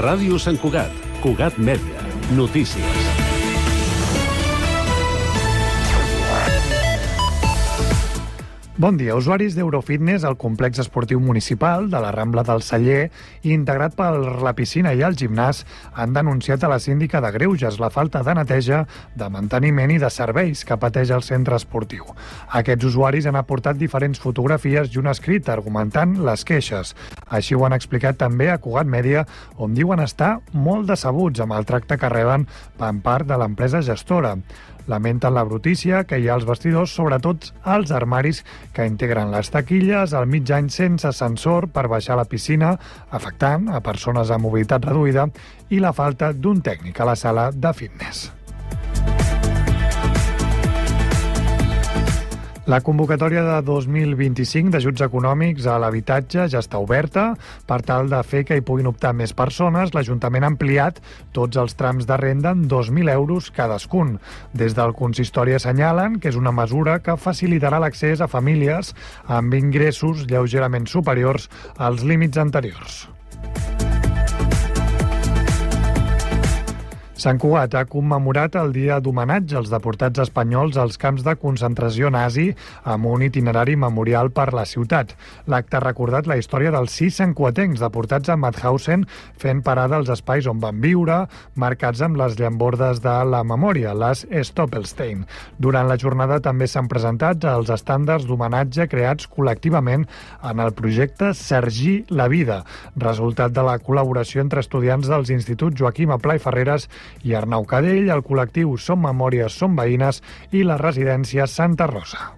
Ràdio Sant Cugat, Cugat Mèdia, notícies. Bon dia. Usuaris d'Eurofitness al complex esportiu municipal de la Rambla del Celler, integrat per la piscina i el gimnàs, han denunciat a la síndica de Greuges la falta de neteja, de manteniment i de serveis que pateix el centre esportiu. Aquests usuaris han aportat diferents fotografies i un escrit argumentant les queixes. Així ho han explicat també a Cugat Mèdia, on diuen estar molt decebuts amb el tracte que reben per part de l'empresa gestora. Lamenten la brutícia que hi ha als vestidors, sobretot als armaris que integren les taquilles, al mig any sense ascensor per baixar a la piscina, afectant a persones amb mobilitat reduïda, i la falta d'un tècnic a la sala de fitness. La convocatòria de 2025 d'ajuts econòmics a l'habitatge ja està oberta. Per tal de fer que hi puguin optar més persones, l'Ajuntament ha ampliat tots els trams de renda en 2.000 euros cadascun. Des del consistori assenyalen que és una mesura que facilitarà l'accés a famílies amb ingressos lleugerament superiors als límits anteriors. Sant Cugat ha commemorat el dia d'homenatge als deportats espanyols als camps de concentració nazi amb un itinerari memorial per la ciutat. L'acte ha recordat la història dels 6 santcuatencs deportats a Mauthausen fent parada als espais on van viure, marcats amb les llambordes de la memòria, les Stoppelstein. Durant la jornada també s'han presentat els estàndards d'homenatge creats col·lectivament en el projecte Sergi la Vida, resultat de la col·laboració entre estudiants dels instituts Joaquim Aplà i Ferreres i Arnau Cadell, el col·lectiu Som Memòries, Som Veïnes i la residència Santa Rosa.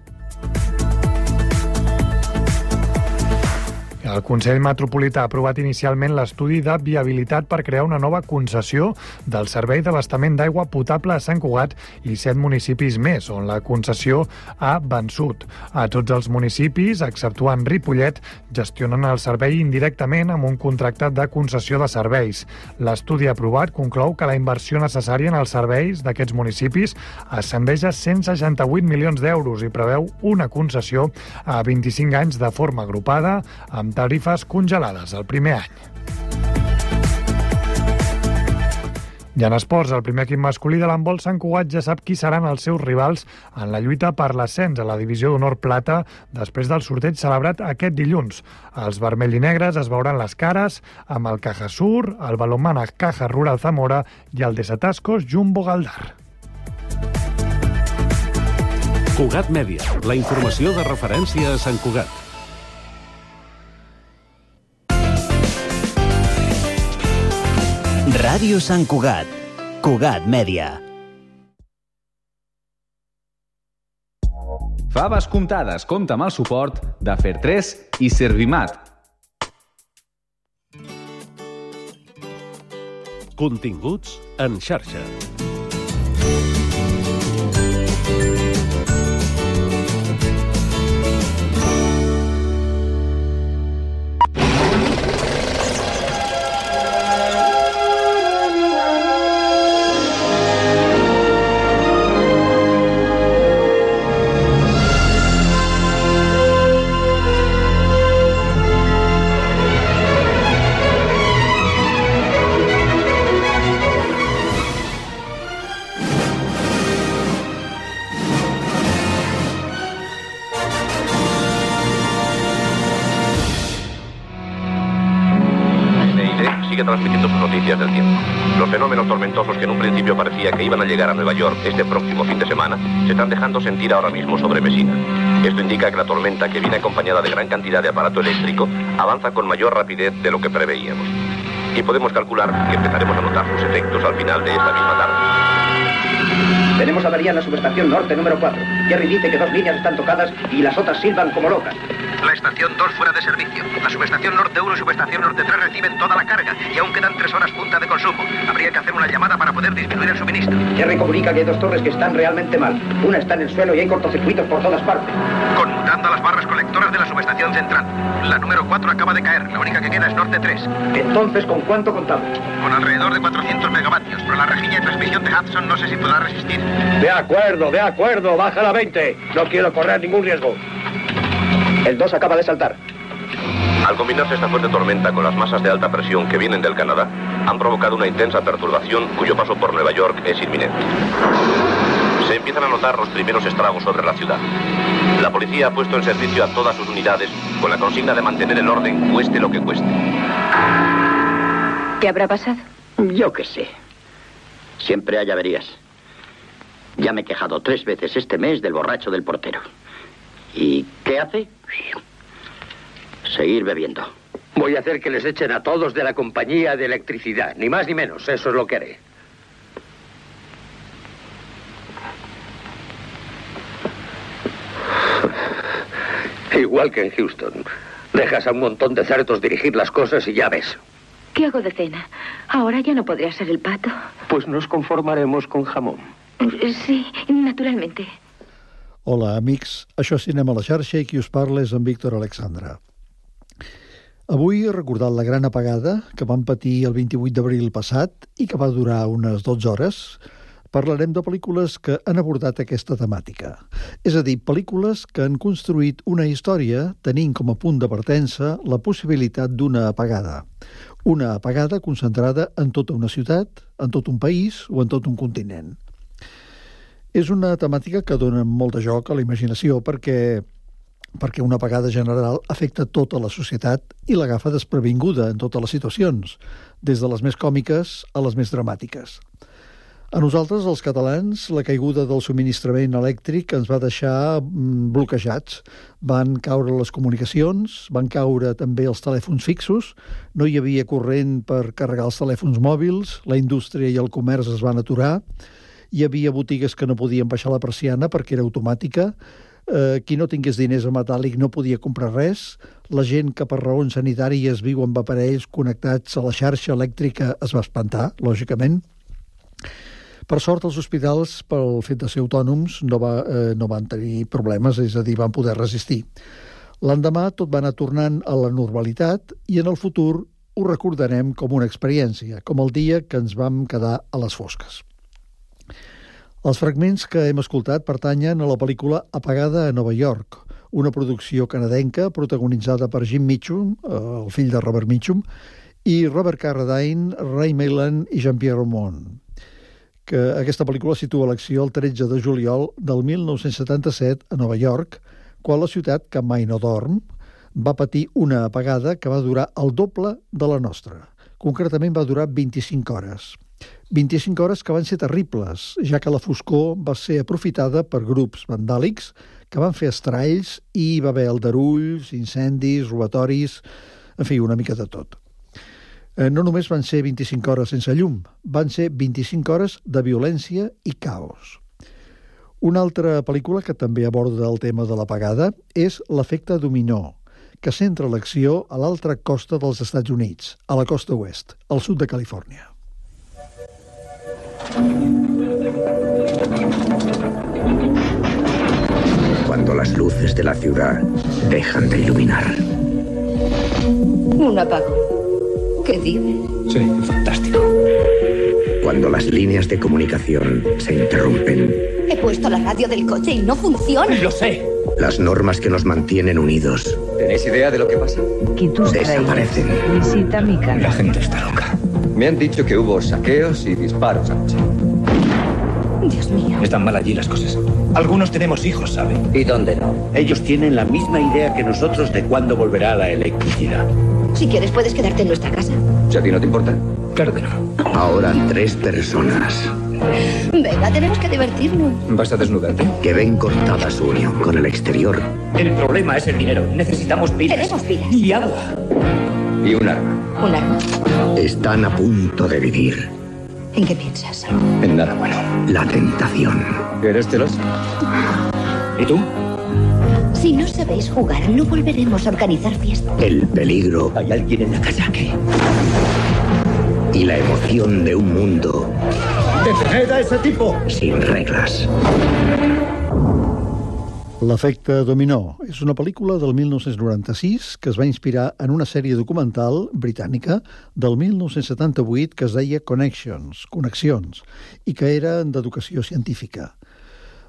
El Consell Metropolità ha aprovat inicialment l'estudi de viabilitat per crear una nova concessió del servei d'abastament d'aigua potable a Sant Cugat i 7 municipis més, on la concessió ha vençut. A tots els municipis, exceptuant Ripollet, gestionen el servei indirectament amb un contracte de concessió de serveis. L'estudi aprovat conclou que la inversió necessària en els serveis d'aquests municipis ascendeix a 168 milions d'euros i preveu una concessió a 25 anys de forma agrupada, amb tarifes congelades el primer any. I en esports, el primer equip masculí de l'handbol Sant Cugat ja sap qui seran els seus rivals en la lluita per l'ascens a la divisió d'honor plata després del sorteig celebrat aquest dilluns. Els vermell i negres es veuran les cares amb el Cajasur, el Balonmana Caja Rural Zamora i el Desatascos Jumbo Galdar. Cugat Mèdia, la informació de referència a Sant Cugat. Ràdio Sant Cugat, Cugat Mèdia. Faves comptades compta amb el suport de Fer3 i Servimat. Continguts en xarxa. Transmitiendo sus noticias del tiempo. Los fenómenos tormentosos que en un principio parecía que iban a llegar a Nueva York este próximo fin de semana se están dejando sentir ahora mismo sobre Messina. Esto indica que la tormenta, que viene acompañada de gran cantidad de aparato eléctrico, avanza con mayor rapidez de lo que preveíamos. Y podemos calcular que empezaremos a notar sus efectos al final de esta misma tarde. Tenemos avería en la subestación norte número 4. Jerry dice que 2 líneas están tocadas y las otras silban como locas. La estación 2 fuera de servicio. La subestación norte 1 y subestación norte 3 reciben toda la carga y aún quedan 3 horas punta de consumo. Habría que hacer una llamada para poder disminuir el suministro. Jerry comunica que hay 2 torres que están realmente mal. Una está en el suelo y hay cortocircuitos por todas partes. Conmutando a las barras colectoras de la subestación central. La número 4 acaba de caer. La única que queda es norte 3. Entonces, ¿con cuánto contamos? Con alrededor de 400 megavatios, pero la rejilla de transmisión de Hudson no sé si podrá resistir. De acuerdo. Bájala a 20. No quiero correr ningún riesgo. El 2 acaba de saltar. Al combinarse esta fuerte tormenta con las masas de alta presión que vienen del Canadá, han provocado una intensa perturbación cuyo paso por Nueva York es inminente. Se empiezan a notar los primeros estragos sobre la ciudad. La policía ha puesto en servicio a todas sus unidades con la consigna de mantener el orden, cueste lo que cueste. ¿Qué habrá pasado? Yo qué sé. Siempre hay averías. Ya me he quejado 3 veces este mes del borracho del portero. ¿Y qué hace? Seguir bebiendo. Voy a hacer que les echen a todos de la compañía de electricidad. Ni más ni menos. Eso es lo que haré. Igual que en Houston. Dejas a un montón de cerdos dirigir las cosas y ya ves. ¿Qué hago de cena? Ahora ya no podría ser el pato. Pues nos conformaremos con jamón. Sí, naturalmente. Hola, amics. Això és Cinema a la xarxa i qui us parla és en Víctor Alexandra. Avui he recordat la gran apagada que vam patir el 28 d'abril passat i que va durar unes 12 hores. Parlarem de pel·lícules que han abordat aquesta temàtica. És a dir, pel·lícules que han construït una història tenint com a punt de partença la possibilitat d'una apagada. Una apagada concentrada en tota una ciutat, en tot un país o en tot un continent. És una temàtica que dona molt de joc a la imaginació perquè una apagada general afecta tota la societat i l'agafa desprevinguda en totes les situacions, des de les més còmiques a les més dramàtiques. A nosaltres, els catalans, la caiguda del subministrament elèctric ens va deixar bloquejats. Van caure les comunicacions, van caure també els telèfons fixos, no hi havia corrent per carregar els telèfons mòbils, la indústria i el comerç es van aturar, hi havia botigues que no podien baixar la persiana perquè era automàtica, qui no tingués diners a metàl·lic no podia comprar res, la gent que per raons sanitàries viu amb aparells connectats a la xarxa elèctrica es va espantar, lògicament. Per sort, els hospitals, pel fet de ser autònoms, no van tenir problemes, és a dir, van poder resistir. L'endemà tot va anar tornant a la normalitat i en el futur ho recordarem com una experiència, com el dia que ens vam quedar a les fosques. Els fragments que hem escoltat pertanyen a la pel·lícula Apagada a Nova York, una producció canadenca protagonitzada per Jim Mitchum, el fill de Robert Mitchum, i Robert Carradine, Ray Milland i Jean-Pierre Ramon. Que aquesta pel·lícula situa l'acció el 13 de juliol del 1977 a Nova York, quan la ciutat, que mai no dorm, va patir una apagada que va durar el doble de la nostra. Concretament va durar 25 hores. 25 hores que van ser terribles, ja que la foscor va ser aprofitada per grups vandàlics que van fer estralls i hi va haver aldarulls, incendis, robatoris, en fi, una mica de tot. No només van ser 25 hores sense llum, van ser 25 hores de violència i caos. Una altra pel·lícula que també aborda el tema de l'apagada és L'efecte dominó, que centra l'acció a l'altra costa dels Estats Units, a la costa oest, al sud de Califòrnia. Cuando las luces de la ciudad dejan de iluminar. Un apagón. ¿Qué dices? Sí, fantástico. Cuando las líneas de comunicación se interrumpen. He puesto la radio del coche y no funciona. ¡Lo sé! Las normas que nos mantienen unidos. ¿Tenéis idea de lo que pasa? Desaparecen. Visita mi casa. La gente está loca. Me han dicho que hubo saqueos y disparos anoche. Dios mío. Están mal allí las cosas. Algunos tenemos hijos, ¿saben? ¿Y dónde no? Ellos tienen la misma idea que nosotros de cuándo volverá la electricidad. Si quieres, puedes quedarte en nuestra casa. ¿Si a ti no te importa? Claro que no. Ahora 3 personas Venga, tenemos que divertirnos. ¿Vas a desnudarte? que ven cortada su unión con el exterior. El problema es el dinero. Necesitamos pilas. Tenemos pilas. Y agua. Y un arma. Un arma. Están a punto de vivir ¿En qué piensas? En nada bueno. la tentación. ¿Eres celoso? ¿Y tú? Si no sabéis jugar, no volveremos a organizar fiestas. El peligro ¿Hay alguien en la casa? ¿Qué? y la emoción de un mundo ¡Detened a ese tipo! sin reglas. L'efecte dominó és una pel·lícula del 1996 que es va inspirar en una sèrie documental britànica del 1978 que es deia Connexions, i que era d'educació científica.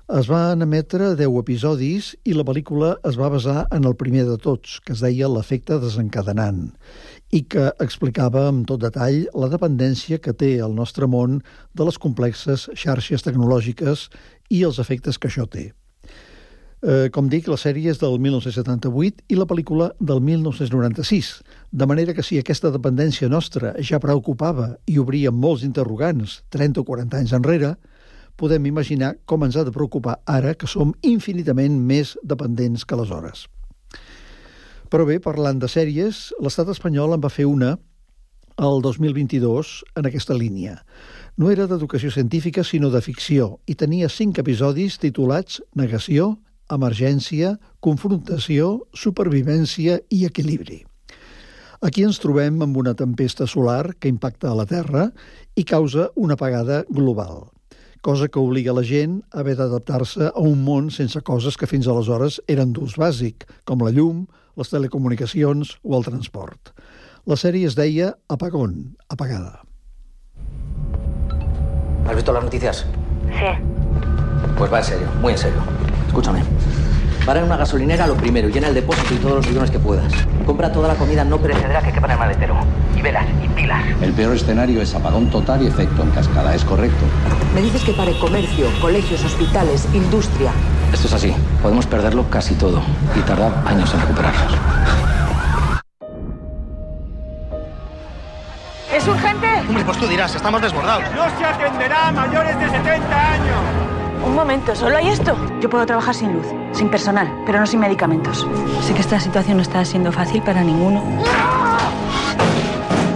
Es van emetre 10 episodis i la pel·lícula es va basar en el primer de tots, que es deia L'efecte desencadenant, i que explicava amb tot detall la dependència que té el nostre món de les complexes xarxes tecnològiques i els efectes que això té. Com dic, la sèrie és del 1978 i la pel·lícula del 1996, de manera que si aquesta dependència nostra ja preocupava i obria molts interrogants 30 o 40 anys enrere, podem imaginar com ens ha de preocupar ara que som infinitament més dependents que aleshores. Però bé, parlant de sèries, l'estat espanyol en va fer una el 2022 en aquesta línia. No era d'educació científica, sinó de ficció, i tenia 5 episodis titulats Negació, Emergència, Confrontació, Supervivència i Equilibri. Aquí ens trobem amb una tempesta solar que impacta a la Terra i causa una apagada global, cosa que obliga la gent a haver d'adaptar-se a un món sense coses que fins aleshores eren d'ús bàsic, com la llum, les telecomunicacions o el transport. La sèrie es deia Apagón, apagada. ¿Has visto las noticias? Sí. Pues va en serio, muy en serio. Escúchame. Para en una gasolinera lo primero, llena el depósito y todos los bidones que puedas. Compra toda la comida no perecedera que quepa en el maletero. Y velas, y pilas. El peor escenario es apagón total y efecto en cascada, ¿es correcto? Me dices que pare comercio, colegios, hospitales, industria. Esto es así. Podemos perderlo casi todo y tardar años en recuperarnos. ¿Es urgente? Hombre, pues tú dirás, estamos desbordados. No se atenderá a mayores de 70 años. Un momento, ¿solo hay esto? Yo puedo trabajar sin luz, sin personal, pero no sin medicamentos. Sé que esta situación no está siendo fácil para ninguno.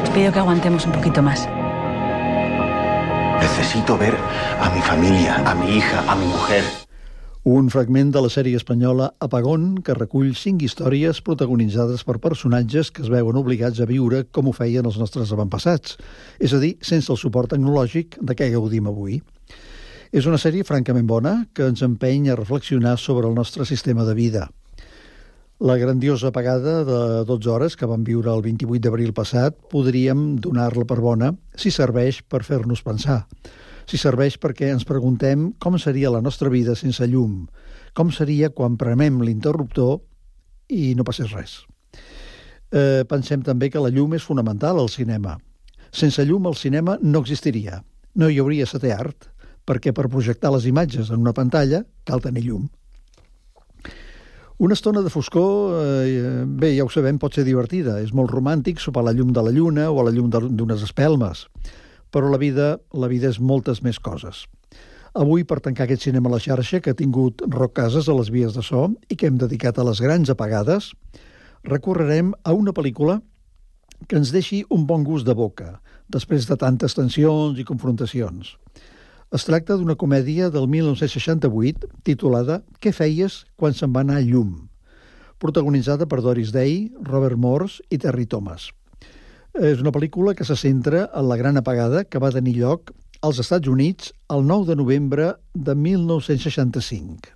Os pido que aguantemos un poquito más. Necesito ver a mi familia, a mi hija, a mi mujer. Un fragment de la sèrie espanyola Apagón, que recull 5 històries protagonitzades per personatges que es veuen obligats a viure com ho feien els nostres avantpassats, és a dir, sense el suport tecnològic de què gaudim avui. És una sèrie francament bona que ens empeny a reflexionar sobre el nostre sistema de vida. La grandiosa apagada de 12 hores que vam viure el 28 d'abril passat podríem donar-la per bona si serveix per fer-nos pensar. Si serveix perquè ens preguntem com seria la nostra vida sense llum, com seria quan premem l'interruptor i no passés res. Pensem també que la llum és fonamental al cinema. Sense llum el cinema no existiria, no hi hauria setè art, perquè per projectar les imatges en una pantalla cal tenir llum. Una estona de foscor, bé, ja ho sabem, pot ser divertida. És molt romàntic sopar a la llum de la lluna o a la llum d'unes espelmes. Però la vida és moltes més coses. Avui, per tancar aquest cinema a la xarxa que ha tingut Roc Casas a les vies de so i que hem dedicat a les grans apagades, recorrerem a una pel·lícula que ens deixi un bon gust de boca, després de tantes tensions i confrontacions. Es tracta d'una comèdia del 1968 titulada Què feies quan se'n va anar llum?, protagonitzada per Doris Day, Robert Morse i Terry Thomas. És una pel·lícula que se centra en la gran apagada que va tenir lloc als Estats Units el 9 de novembre de 1965,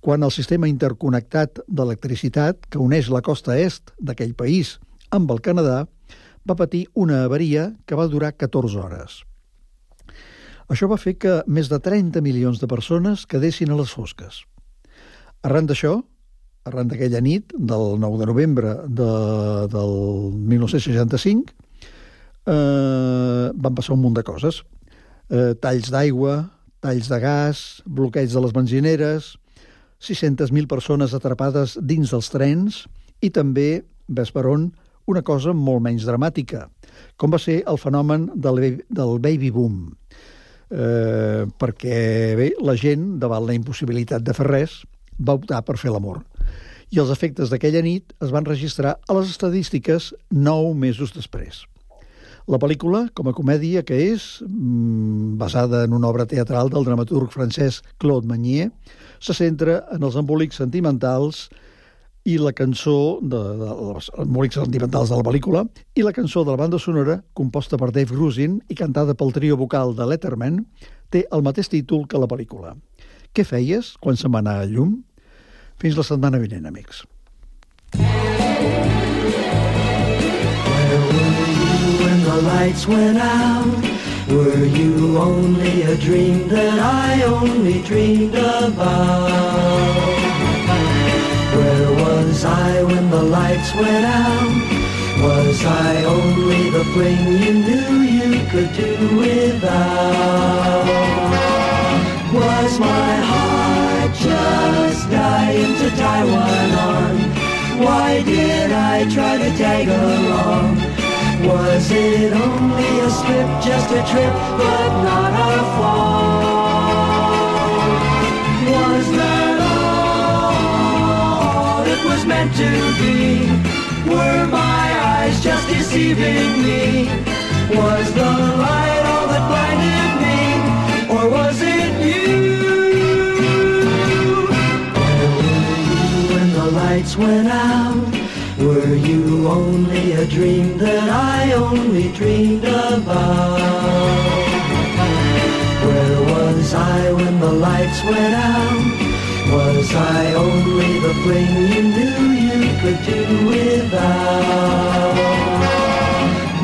quan el sistema interconnectat d'electricitat que uneix la costa est d'aquell país amb el Canadà va patir una avaria que va durar 14 hores. Això va fer que més de 30 milions de persones quedessin a les fosques. Arran d'això, arran d'aquella nit del 9 de novembre del 1965, van passar un munt de coses. Talls d'aigua, talls de gas, bloqueig de les benzineres, 600.000 persones atrapades dins dels trens i també, ves per on, una cosa molt menys dramàtica, com va ser el fenomen del baby boom. Perquè bé, la gent, davant la impossibilitat de fer res, va optar per fer l'amor. I els efectes d'aquella nit es van registrar a les estadístiques 9 mesos després. La pel·lícula, com a comèdia que és, basada en una obra teatral del dramaturg francès Claude Meunier, se centra en els embolics sentimentals i la cançó els embolics sentimentals de la pel·lícula i la cançó de la banda sonora, composta per Dave Grusin i cantada pel trio vocal de Letterman, té el mateix títol que la pel·lícula. Què feies quan se'n va anar a llum? Fins la setmana vinent, amics. Where were you when the lights went out Were you only a dream that I only dreamed about? Where was I when the lights went out? Was I only the fling you knew you could do without? Was my heart just dying to tie one on? Why did I try to tag along? Was it only a slip, just a trip, but not a fall? Was that all it was meant to be? Were my eyes just deceiving me? Was the light all that blinded me? Or was it you? Where were you when the lights went out? Were you only a dream that I only dreamed about? Where was I when the lights went out? Was I only the fling you knew you could do without?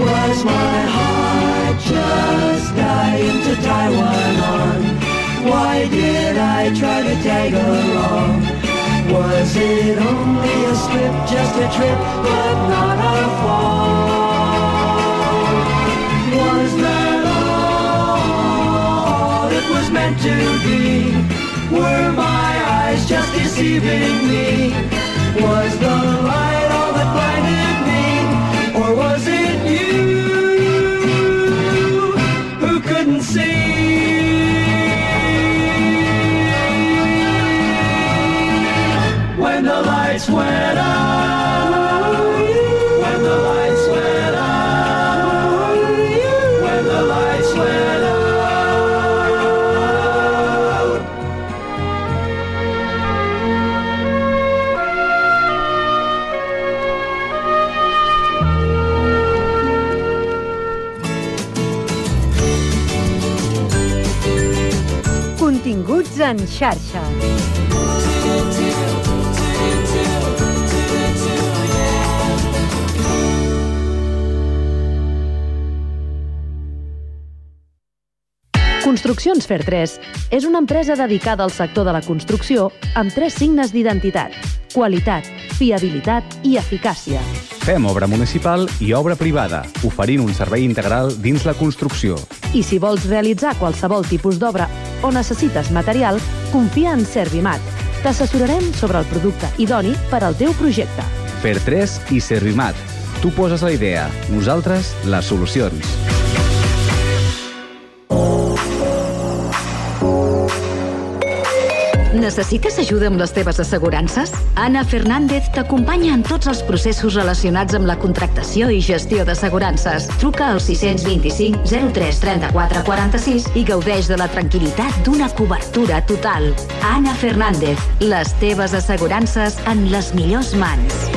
Was my heart just dying to tie one on? Why did I try to tag along? Was it only a slip, just a trip, but not a fall? Was that all it was meant to be? Were my eyes just deceiving me? Was the light all that blinded me? Or was it you who couldn't see? When the lights went out, when the lights went out, when the lights went out. Continguts en xarxa. Construccions Fer 3 és una empresa dedicada al sector de la construcció amb 3 signes d'identitat: qualitat, fiabilitat i eficàcia. Fem obra municipal i obra privada, oferint un servei integral dins la construcció. I si vols realitzar qualsevol tipus d'obra o necessites material, confia en Servimat. T'assessorarem sobre el producte idoni per al teu projecte. Fer 3 i Servimat. Tu poses la idea, nosaltres les solucions. Necessites ajuda amb les teves assegurances? Ana Fernández t'acompanya en tots els processos relacionats amb la contractació i gestió d'assegurances. Truca al 625 03 34 46 i gaudeix de la tranquil·litat d'una cobertura total. Ana Fernández, les teves assegurances en les millors mans.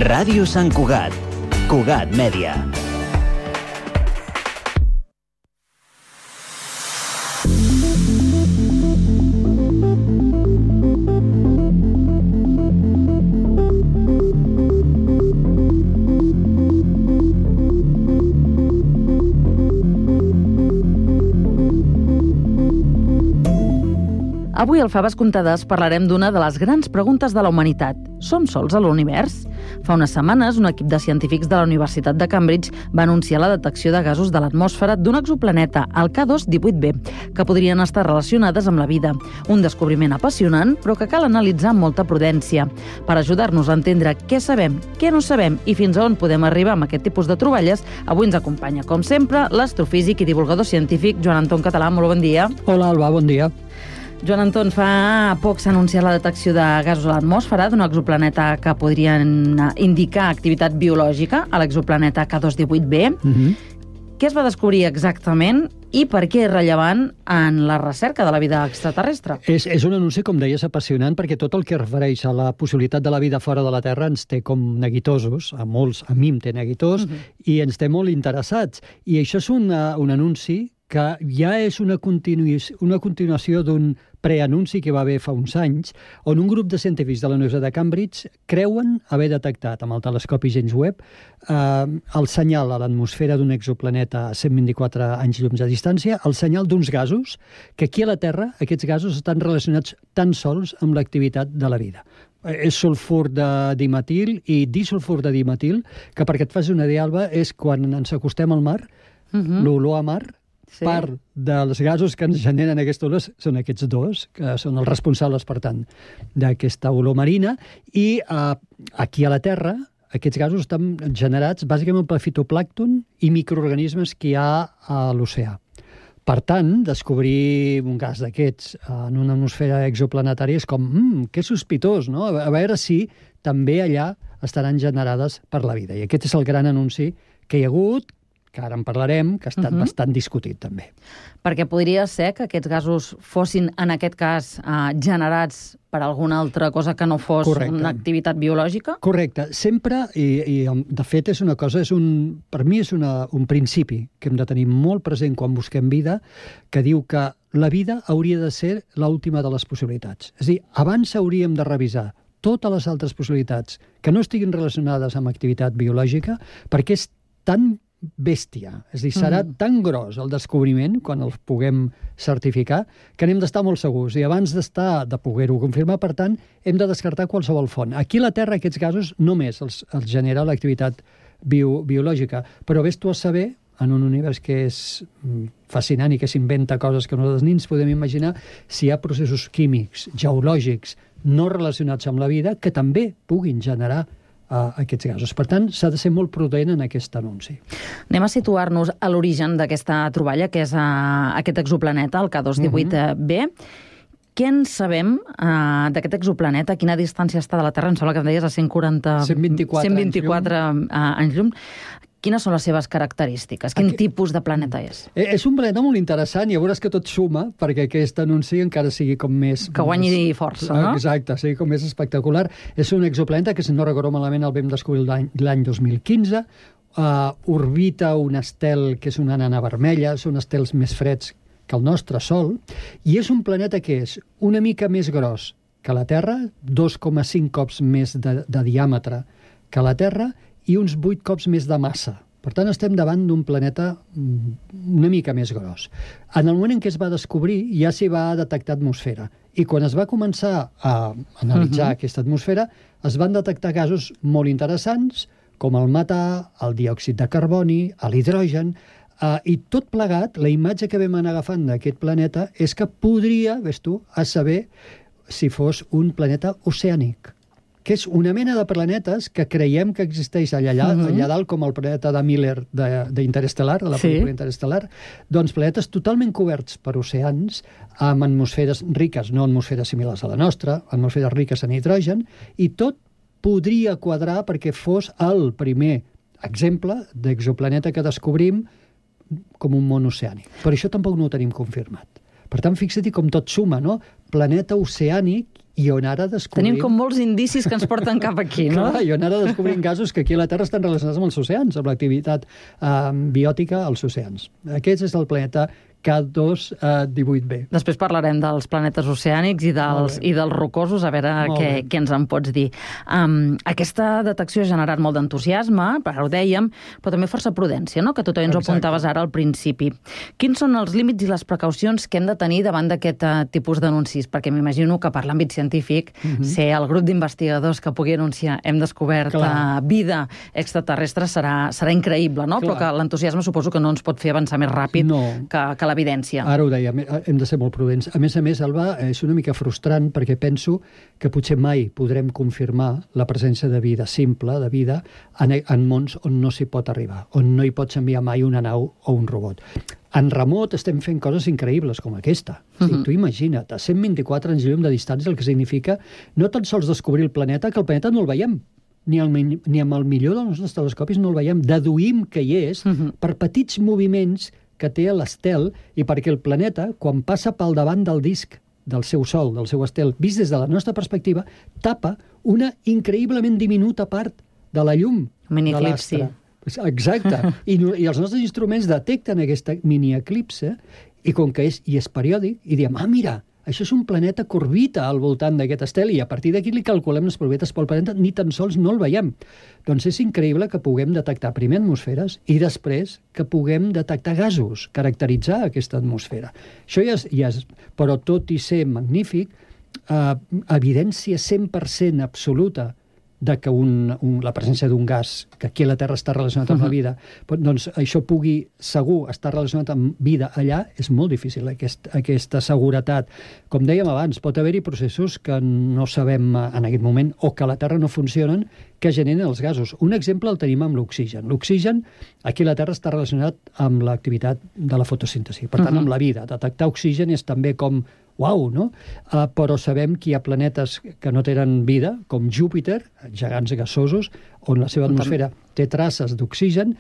Ràdio Sant Cugat. Cugat Mèdia. Avui al Faves Comptades parlarem d'una de les grans preguntes de la humanitat. Som sols a l'univers? Fa unes setmanes, un equip de científics de la Universitat de Cambridge va anunciar la detecció de gasos de l'atmosfera d'un exoplaneta, el K2-18b, que podrien estar relacionades amb la vida. Un descobriment apassionant, però que cal analitzar amb molta prudència. Per ajudar-nos a entendre què sabem, què no sabem i fins a on podem arribar amb aquest tipus de troballes, avui ens acompanya, com sempre, l'astrofísic i divulgador científic Joan Anton Català. Molt bon dia. Hola, Alba, bon dia. Joan Anton, fa poc s'ha anunciat la detecció de gasos a l'atmosfera d'un exoplaneta que podrien indicar activitat biològica, a l'exoplaneta K2-18b. Què es va descobrir exactament i per què és rellevant en la recerca de la vida extraterrestre? És un anunci, com deies, apassionant, perquè tot el que es refereix a la possibilitat de la vida fora de la Terra ens té com neguitosos, a molts, a mi em té neguitós, i ens té molt interessats. I això és un anunci que ja és una continuació d'un preanunci que va haver fa uns anys, on un grup de científics de la Universitat de Cambridge creuen haver detectat amb el telescopi James Webb el senyal a l'atmosfera d'un exoplaneta a 124 anys llums de distància, el senyal d'uns gasos que aquí a la Terra, aquests gasos estan relacionats tan sols amb l'activitat de la vida. És sulfur de dimetil i disulfur de dimetil, que perquè et faci una idea, Alba, és quan ens acostem al mar, l'olor a mar, part dels gasos que ens generen aquests olors són aquests dos, que són els responsables, per tant, d'aquesta olor marina, i aquí a la Terra aquests gasos estan generats bàsicament per fitoplàncton i microorganismes que hi ha a l'oceà. Per tant, descobrir un gas d'aquests en una atmosfera exoplanetària és com, que sospitós, no? A veure si també allà estaran generades per la vida. I aquest és el gran anunci que hi ha hagut, que ara en parlarem, que ha estat bastant discutit també. Perquè podria ser que aquests gasos fossin, en aquest cas, generats per alguna altra cosa que no fos una activitat biològica? Correcte. Sempre, i de fet és una cosa, per mi és un principi que hem de tenir molt present quan busquem vida, que diu que la vida hauria de ser l'última de les possibilitats. És a dir, abans hauríem de revisar totes les altres possibilitats que no estiguin relacionades amb activitat biològica, perquè és tan bèstia, és a dir, serà tan gros el descobriment, quan el puguem certificar, que n'hem d'estar molt segurs. I abans de poder-ho confirmar, per tant, hem de descartar qualsevol font. Aquí a la Terra aquests gasos només els genera l'activitat biològica, però vés tu a saber, en un univers que és fascinant i que s'inventa coses que nosaltres ni ens podem imaginar, si hi ha processos químics, geològics, no relacionats amb la vida, que també puguin generar aquests gasos. Per tant, s'ha de ser molt prudent en aquest anunci. Anem a situar-nos a l'origen d'aquesta troballa, que és aquest exoplaneta, el K218b. Què en sabem d'aquest exoplaneta? A quina distància està de la Terra? Em sembla que em deies a 124 anys llum. Quines són les seves característiques? Quin tipus de planeta és? És un planeta molt interessant i ja veuràs que tot suma perquè aquest anunci encara sigui com més... Que guanyi força, no? Exacte, sigui com més espectacular. És un exoplaneta que, si no recordo malament, el vam descobrir l'any 2015. Orbita un estel que és una nana vermella, són estels més freds que el nostre Sol, i és un planeta que és una mica més gros que la Terra, 2,5 cops més de diàmetre que la Terra, i uns 8 cops més de massa. Per tant, estem davant d'un planeta una mica més gros. En el moment en què es va descobrir, ja s'hi va detectar atmosfera. I quan es va començar a analitzar aquesta atmosfera, es van detectar gasos molt interessants, com el metà, el diòxid de carboni, l'hidrogen, i tot plegat, la imatge que vam anar agafant d'aquest planeta és que podria, ves tu, a saber si fos un planeta oceànic, que és una mena de planetes que creiem que existeix allà dalt, com el planeta de Miller d'Interestel·lar, de la pel·lícula Interestelar, doncs planetes totalment coberts per oceans, amb atmosferes riques, no atmosferes similars a la nostra, atmosferes riques en hidrogen, i tot podria quadrar perquè fos el primer exemple d'exoplaneta que descobrim com un món oceànic. Per això tampoc no ho tenim confirmat. Per tant, fixa-t'hi com tot suma, no? Planeta oceànic, i on ara descobrim... Tenim com molts indicis que ens porten cap aquí, no? Clar, i on ara descobrim gasos que aquí a la Terra estan relacionats amb els oceans, amb l'activitat biòtica als oceans. Aquest és el planeta K218b. Després parlarem dels planetes oceànics i dels rocosos, a veure què ens en pots dir. Aquesta detecció ha generat molt d'entusiasme, ara ho dèiem, però també força prudència, no? Que tu també ens ho apuntaves ara al principi. Quins són els límits i les precaucions que hem de tenir davant d'aquest tipus d'anuncis? Perquè m'imagino que per l'àmbit científic, ser el grup d'investigadors que pugui anunciar hem descobert vida extraterrestre serà increïble, no? Però que l'entusiasme suposo que no ens pot fer avançar més ràpid que l'evidència. Ara ho dèiem, hem de ser molt prudents. A més, Alba, és una mica frustrant perquè penso que potser mai podrem confirmar la presència de vida simple, de vida, en mons on no s'hi pot arribar, on no hi pots enviar mai una nau o un robot. En remot estem fent coses increïbles com aquesta. Tu imagina't, a 124 anys llum de distància, el que significa no tan sols descobrir el planeta, que el planeta no el veiem, ni amb el millor dels nostres telescopis no el veiem. Deduïm que hi és per petits moviments que té l'estel i perquè el planeta, quan passa pel davant del disc del seu sol, del seu estel, vist des de la nostra perspectiva, tapa una increïblement diminuta part de la llum de l'astre. Exacte. I els nostres instruments detecten aquesta mini-eclipse i com que és periòdic, i diem, mira, això és un planeta que orbita al voltant d'aquest estel i a partir d'aquí li calculem les probabilitats pel planeta, ni tan sols no el veiem. Doncs és increïble que puguem detectar primer atmosferes i després que puguem detectar gasos, caracteritzar aquesta atmosfera. Això ja és però tot i ser magnífic, evidència 100% absoluta de que la presència d'un gas, que aquí a la Terra està relacionat amb la vida, doncs això pugui segur estar relacionat amb vida allà, és molt difícil, aquesta seguretat. Com dèiem abans, pot haver-hi processos que no sabem en aquest moment o que a la Terra no funcionen, que generen els gasos. Un exemple el tenim amb l'oxigen. L'oxigen, aquí a la Terra, està relacionat amb l'activitat de la fotosíntesi, per tant, amb la vida. Detectar oxigen és també com uau, no? Però sabem que hi ha planetes que no tenen vida, com Júpiter, gegants gasosos, on la seva atmosfera té traces d'oxigen,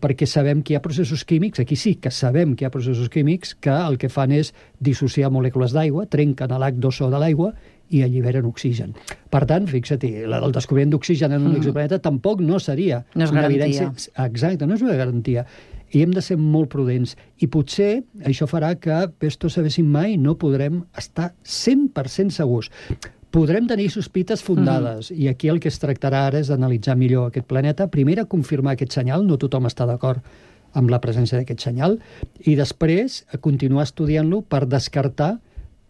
perquè sabem que hi ha processos químics, aquí sí que sabem que hi ha processos químics que el que fan és dissociar molècules d'aigua, trenquen l'H2O de l'aigua i alliberen oxigen. Per tant, fixa-t'hi, el descobriment d'oxigen en un exoplaneta tampoc no seria una evidència. Exacte, no és una garantia. I hem de ser molt prudents. I potser això farà que, pesto sabéssim mai, no podrem estar 100% segurs. Podrem tenir sospites fundades, i aquí el que es tractarà ara és d'analitzar millor aquest planeta. Primer, confirmar aquest senyal, no tothom està d'acord amb la presència d'aquest senyal, i després continuar estudiant-lo per descartar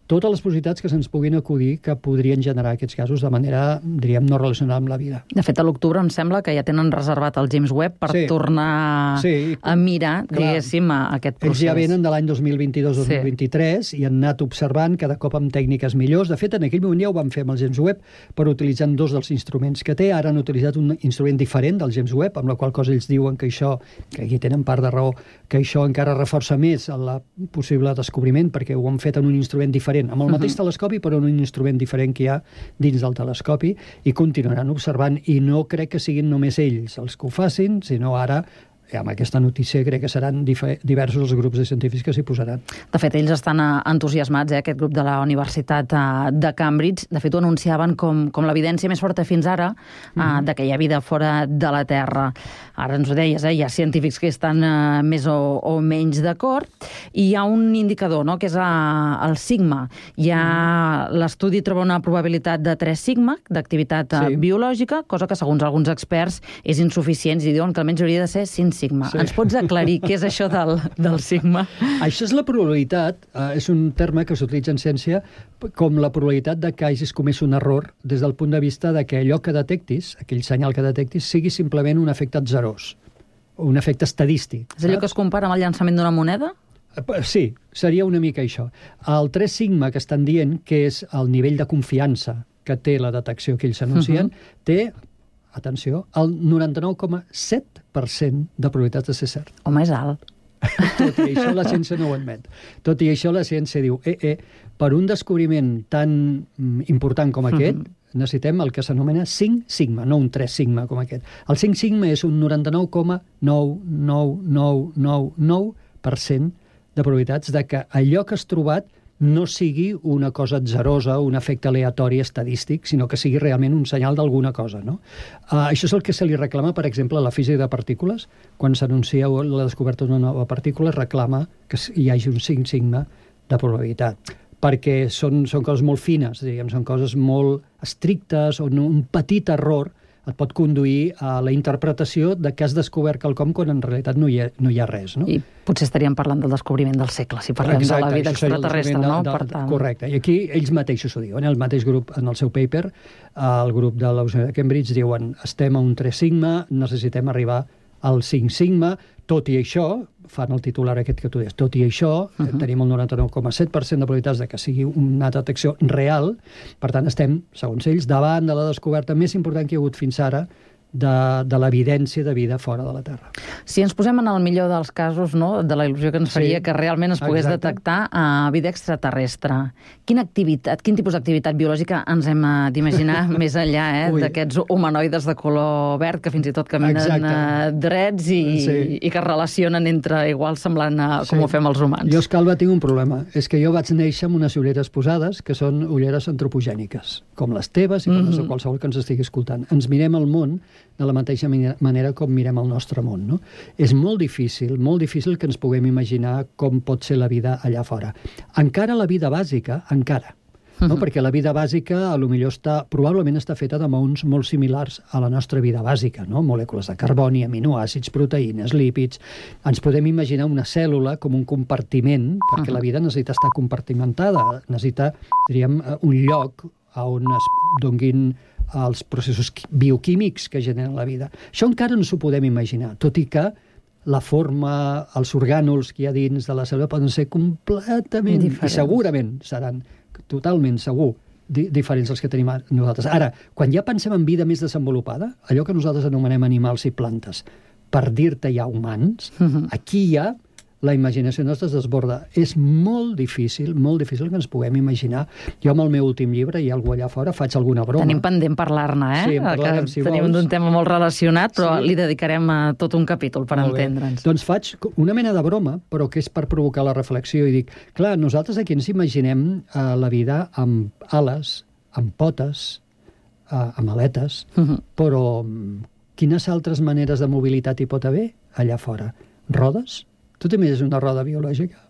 totes les possibilitats que se'ns puguin acudir que podrien generar aquests gasos de manera, diríem, no relacionada amb la vida. De fet, a l'octubre em sembla que ja tenen reservat el James Webb per tornar a mirar, diguéssim, aquest procés. Ells ja venen de l'any 2022-2023 i han anat observant cada cop amb tècniques millors. De fet, en aquell moment ja ho van fer amb el James Webb, però utilitzant dos dels instruments que té. Ara han utilitzat un instrument diferent del James Webb, amb la qual cosa ells diuen que això, que aquí tenen part de raó, que això encara reforça més el possible descobriment, perquè ho han fet en un instrument diferent, amb el mateix telescopi, però en un instrument diferent que hi ha dins del telescopi, i continuaran observant, i no crec que siguin només ells els que ho facin, sinó ara, amb aquesta notícia, crec que seran diversos els grups de científics que s'hi posaran. De fet, ells estan entusiasmats, aquest grup de la Universitat de Cambridge. De fet, ho anunciaven com l'evidència més forta fins ara de que hi ha vida fora de la Terra. Ara ens ho deies, hi ha científics que estan més o menys d'acord, i hi ha un indicador, no?, que és el sigma. L'estudi troba una probabilitat de 3 sigma d'activitat biològica, cosa que, segons alguns experts, és insuficient, i diuen que almenys hauria de ser 5 sigma. Ens pots aclarir què és això del sigma? Això és la probabilitat, és un terme que s'utilitza en ciència com la probabilitat de que hagis comès un error des del punt de vista de que allò que detectis, aquell senyal que detectis, sigui simplement un efecte atzerós, un efecte estadístic. És allò que es compara amb el llançament d'una moneda? Sí, seria una mica això. El 3 sigma que estan dient, que és el nivell de confiança que té la detecció que ells anuncien, té, atenció, el 99,7% de probabilitats de ser cert. Home, és alt. Tot i això la ciència no ho admet. Tot i això la ciència diu, per un descobriment tan important com aquest, necessitem el que s'anomena 5 sigma, no un 3 sigma com aquest. El 5 sigma és un 99,99999% de probabilitats de que allò que has trobat no sigui una cosa atzerosa, un efecte aleatori estadístic, sinó que sigui realment un senyal d'alguna cosa, no? Això és el que se li reclama, per exemple, a la física de partícules. Quan s'anuncia la descoberta d'una nova partícula, es reclama que hi hagi un 5 sigma de probabilitat, perquè són coses molt fines, diríem, són coses molt estrictes, on un petit error et pot conduir a la interpretació de que has descobert quelcom quan en realitat no hi ha res, no? I potser estaríem parlant del descobriment del segle, si parlem de la vida extraterrestre, no? Correcte. I aquí ells mateixos ho diuen. El mateix grup, en el seu paper, el grup de la Universitat de Cambridge, diuen estem a un 3 sigma, necessitem arribar al 5 sigma, tot i això, fan el titular aquest que tu deies, tot i això, tenim el 99,7% de probabilitats de que sigui una detecció real, per tant estem, segons ells, davant de la descoberta més important que hi ha hagut fins ara de l'evidència de vida fora de la Terra. Si ens posem en el millor dels casos, no?, de la il·lusió que ens faria que realment es pogués detectar vida extraterrestre, quin tipus d'activitat biològica ens hem d'imaginar més enllà d'aquests humanoides de color verd que fins i tot caminen drets i que es relacionen entre iguals semblant com ho fem els humans? Jo, Escalva, tinc un problema. És que jo vaig néixer amb unes ulleres posades que són ulleres antropogèniques, com les teves i com les de qualsevol que ens estigui escoltant. Ens mirem el món de la mateixa manera com mirem el nostre món, no? És molt difícil que ens puguem imaginar com pot ser la vida allà fora. Encara la vida bàsica, no? Perquè la vida bàsica probablement està feta de maons molt similars a la nostra vida bàsica, no? Molècules de carboni, aminoàcids, proteïnes, lípids. Ens podem imaginar una cèl·lula com un compartiment, perquè la vida necessita estar compartimentada, necessita, diríem, un lloc on es donguin els processos bioquímics que generen la vida. Això encara no s'ho podem imaginar, tot i que la forma, els orgànuls que hi ha dins de la cèl·lula poden ser completament, i segurament seran totalment segur, diferents dels que tenim nosaltres. Ara, quan ja pensem en vida més desenvolupada, allò que nosaltres anomenem animals i plantes, per dir-te ja humans, aquí ja la imaginació nostra es desborda. És molt difícil que ens puguem imaginar. Jo amb el meu últim llibre, hi ha algú allà fora, faig alguna broma. Tenim pendent parlar-ne, Sí, en parlarem, si vols. Tenim d'un tema molt relacionat, però li dedicarem tot un capítol per entendre'ns. Doncs faig una mena de broma, però que és per provocar la reflexió, i dic, clar, nosaltres aquí ens imaginem la vida amb ales, amb potes, amb aletes, però quines altres maneres de mobilitat hi pot haver allà fora? Rodes? Tu també és una roda biològica?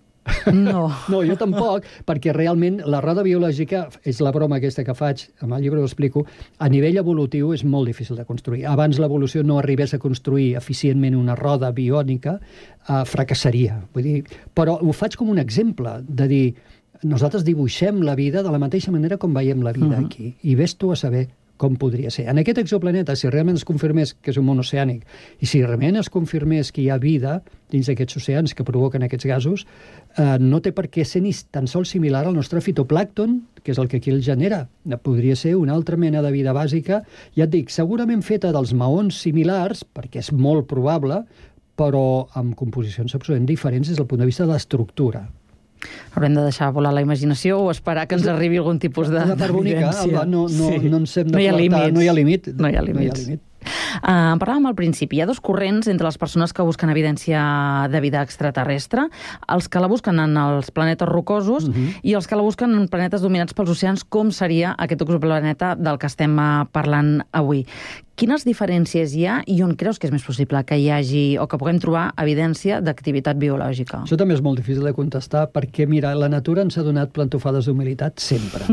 No. No, jo tampoc, perquè realment la roda biològica, és la broma aquesta que faig, amb el llibre ho explico, a nivell evolutiu és molt difícil de construir. Abans l'evolució no arribés a construir eficientment una roda biònica, fracassaria. Vull dir, però ho faig com un exemple de dir, nosaltres dibuixem la vida de la mateixa manera com veiem la vida aquí, i ves tu a saber com podria ser. En aquest exoplaneta, si realment es confirmés que és un món oceànic, i si realment es confirmés que hi ha vida dins d'aquests oceans que provoquen aquests gasos, no té per què ser ni tan sols similar al nostre fitoplàncton, que és el que aquí el genera. Podria ser una altra mena de vida bàsica, ja et dic, segurament feta dels maons similars, perquè és molt probable, però amb composicions absolutament diferents des del punt de vista de l'estructura. Haurem de deixar volar la imaginació o esperar que ens arribi algun tipus de d'evidència. No ens hem de flertar, no hi ha límit. No hi ha límits. En parlàvem al principi, hi ha dos corrents entre les persones que busquen evidència de vida extraterrestre, els que la busquen en els planetes rocosos i els que la busquen en planetes dominats pels oceans, com seria aquest exoplaneta del que estem parlant avui. Quines diferències hi ha i on creus que és més possible que hi hagi o que puguem trobar evidència d'activitat biològica? Això també és molt difícil de contestar perquè, mira, la natura ens ha donat plantofades d'humilitat sempre.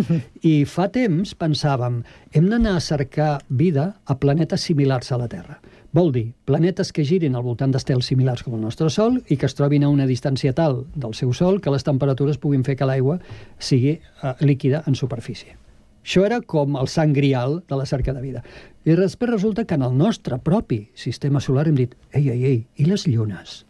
I fa temps pensàvem, hem d'anar a cercar vida a planetes similars a la Terra. Vol dir, planetes que girin al voltant d'estels similars com el nostre Sol i que es trobin a una distància tal del seu Sol que les temperatures puguin fer que l'aigua sigui líquida en superfície. Això era com el sant grial de la cerca de vida. I després resulta que en el nostre propi sistema solar hem dit, ei, i les llunes?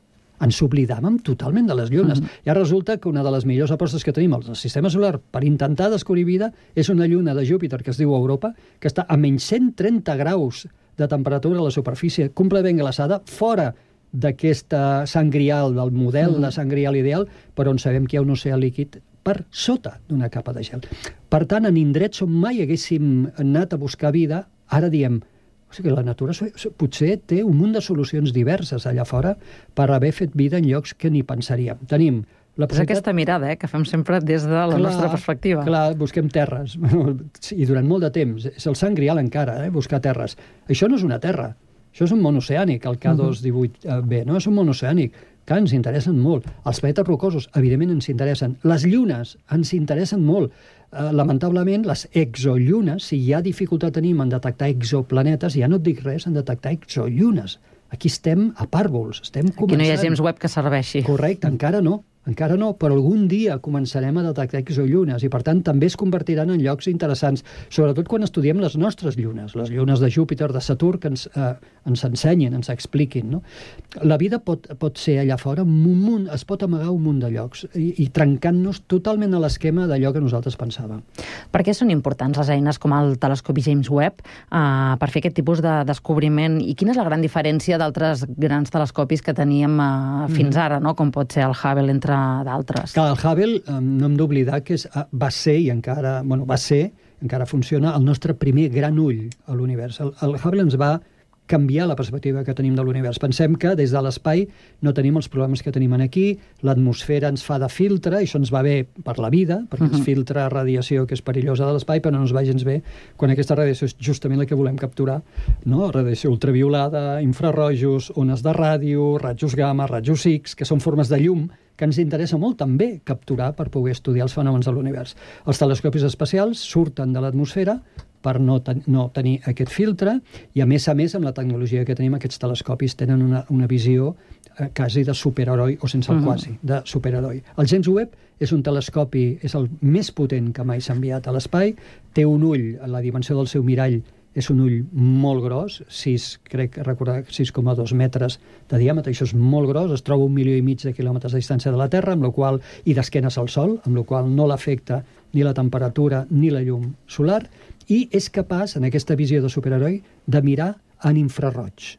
Ens oblidàvem totalment de les llunes. Ja resulta que una de les millors apostes que tenim al sistema solar per intentar descobrir vida és una lluna de Júpiter que es diu Europa, que està a menys 130 graus de temperatura a la superfície, completament glaçada, fora d'aquesta sant grial, del model de sant grial ideal, però on sabem que hi ha un oceà líquid per sota d'una capa de gel. Per tant, en indrets on mai haguéssim anat a buscar vida, ara diem, o sigui, la natura potser té un munt de solucions diverses allà fora per haver fet vida en llocs que ni pensaríem. Tenim la És aquesta mirada que fem sempre des de la nostra perspectiva. Clar, busquem terres. I durant molt de temps. És el sant grial encara, buscar terres. Això no és una terra. Això és un món oceànic, el K218b, no? És un món oceànic que ens interessen molt. Els planetes rocosos, evidentment, ens interessen. Les llunes ens interessen molt. Lamentablement, les exollunes, si hi ha dificultat tenim en detectar exoplanetes, ja no et dic res en detectar exollunes. Aquí estem a pàrvols, estem començant. Aquí no hi ha James Webb que serveixi. Correcte, encara no, però algun dia començarem a detectar exollunes i, per tant, també es convertiran en llocs interessants, sobretot quan estudiem les nostres llunes, les llunes de Júpiter, de Saturn, que ens ensenyin, ens expliquin. No? La vida pot ser allà fora, es pot amagar un munt de llocs i trencant-nos totalment a l'esquema d'allò que nosaltres pensàvem. Per què són importants les eines com el telescopi James Webb per fer aquest tipus de descobriment i quina és la gran diferència d'altres grans telescopis que teníem fins ara, no? Com pot ser el Hubble, entre d'altres. Clar, el Hubble, no hem d'oblidar que va ser, encara funciona, el nostre primer gran ull a l'univers. El Hubble ens va canviar la perspectiva que tenim de l'univers. Pensem que des de l'espai no tenim els problemes que tenim aquí, l'atmosfera ens fa de filtre, i això ens va bé per la vida, perquè ens filtra radiació que és perillosa de l'espai, però no ens va gens bé quan aquesta radiació és justament la que volem capturar, no? Radiació ultraviolada, infrarrojos, ones de ràdio, rajos gamma, rajos X, que són formes de llum que ens interessa molt també capturar per poder estudiar els fenòmens de l'univers. Els telescopis espacials surten de l'atmosfera per no tenir aquest filtre, i a més, amb la tecnologia que tenim, aquests telescopis tenen una visió quasi de superheroi, o sense el quasi, de superheroi. El James Webb és un telescopi, és el més potent que mai s'ha enviat a l'espai, té un ull, la dimensió del seu mirall és un ull molt gros, crec recordar 6,2 metres de diàmetre, això és molt gros, es troba 1,5 milió de quilòmetres de distància de la Terra, i d'esquenes al Sol, amb la qual no l'afecta ni la temperatura ni la llum solar, i és capaç, en aquesta visió de superheroi, de mirar en infraroig.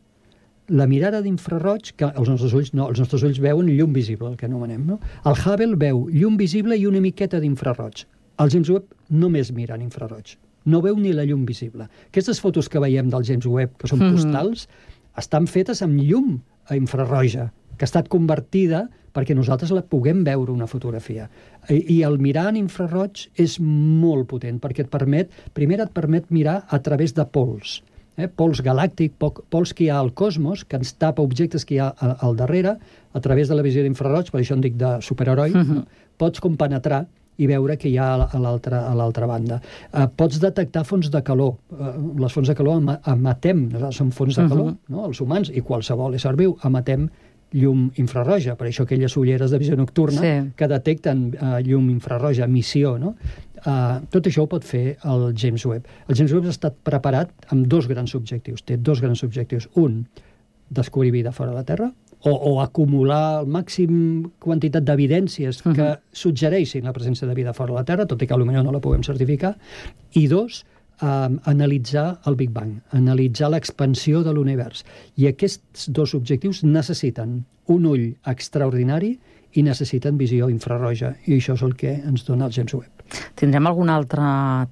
La mirada d'infraroig, que els nostres ulls veuen llum visible, el que anomenem, no? El Hubble veu llum visible i una miqueta d'infraroig. El James Webb només mira en infraroig. No veu ni la llum visible. Aquestes fotos que veiem del James Webb, que són postals, estan fetes amb llum infraroja, que ha estat convertida perquè nosaltres la puguem veure una fotografia. I el mirar en infraroig és molt potent, perquè primer et permet mirar a través de pols. Pols galàctic, pols que hi ha al cosmos, que ens tapa objectes que hi ha al darrere, a través de la visió d'infraroig, per això en dic de superheroi, pots compenetrar i veure que hi ha a l'altra banda. Pots detectar fonts de calor. Les fonts de calor emetem, són fonts de calor, els humans i qualsevol ésser viu emetem llum infraroja, per això aquelles ulleres de visió nocturna que detecten llum infraroja, emissió, no? Tot això ho pot fer el James Webb. El James Webb ha estat preparat amb dos grans objectius. Té dos grans objectius. Un, descobrir vida fora de la Terra, o acumular el màxim quantitat d'evidències que suggereixin la presència de vida fora de la Terra, tot i que potser no la puguem certificar. I dos, analitzar el Big Bang, analitzar l'expansió de l'univers. I aquests dos objectius necessiten un ull extraordinari i necessiten visió infraroja, i això és el que ens dona el James Webb. Tindrem algun altre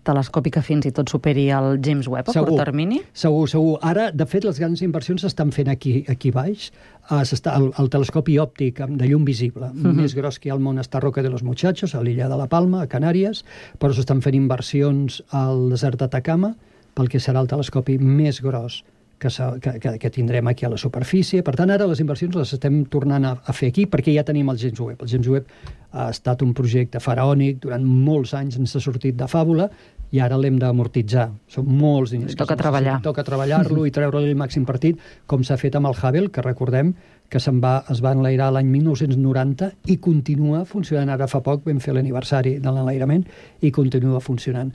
telescopi que fins i tot superi el James Webb a curt termini? Segur. Ara, de fet, les grans inversions s'estan fent aquí baix. El telescopi òptic de llum visible, més gros que hi ha al món, està Roca de los Muchachos, a l'illa de la Palma, a Canàries, però s'estan fent inversions al desert d'Atacama, pel que serà el telescopi més gros que tindrem aquí a la superfície. Per tant, ara les inversions les estem tornant a fer aquí perquè ja tenim el James Webb. El James Webb ha estat un projecte faraònic, durant molts anys ens ha sortit de fàbula i ara l'hem d'amortitzar. Són molts diners. Toca treballar. Toca treballar-lo i treure-li el màxim partit, com s'ha fet amb el Hubble, que recordem que es va enlairar l'any 1990 i continua funcionant. Ara fa poc vam fer l'aniversari de l'enlairament i continua funcionant.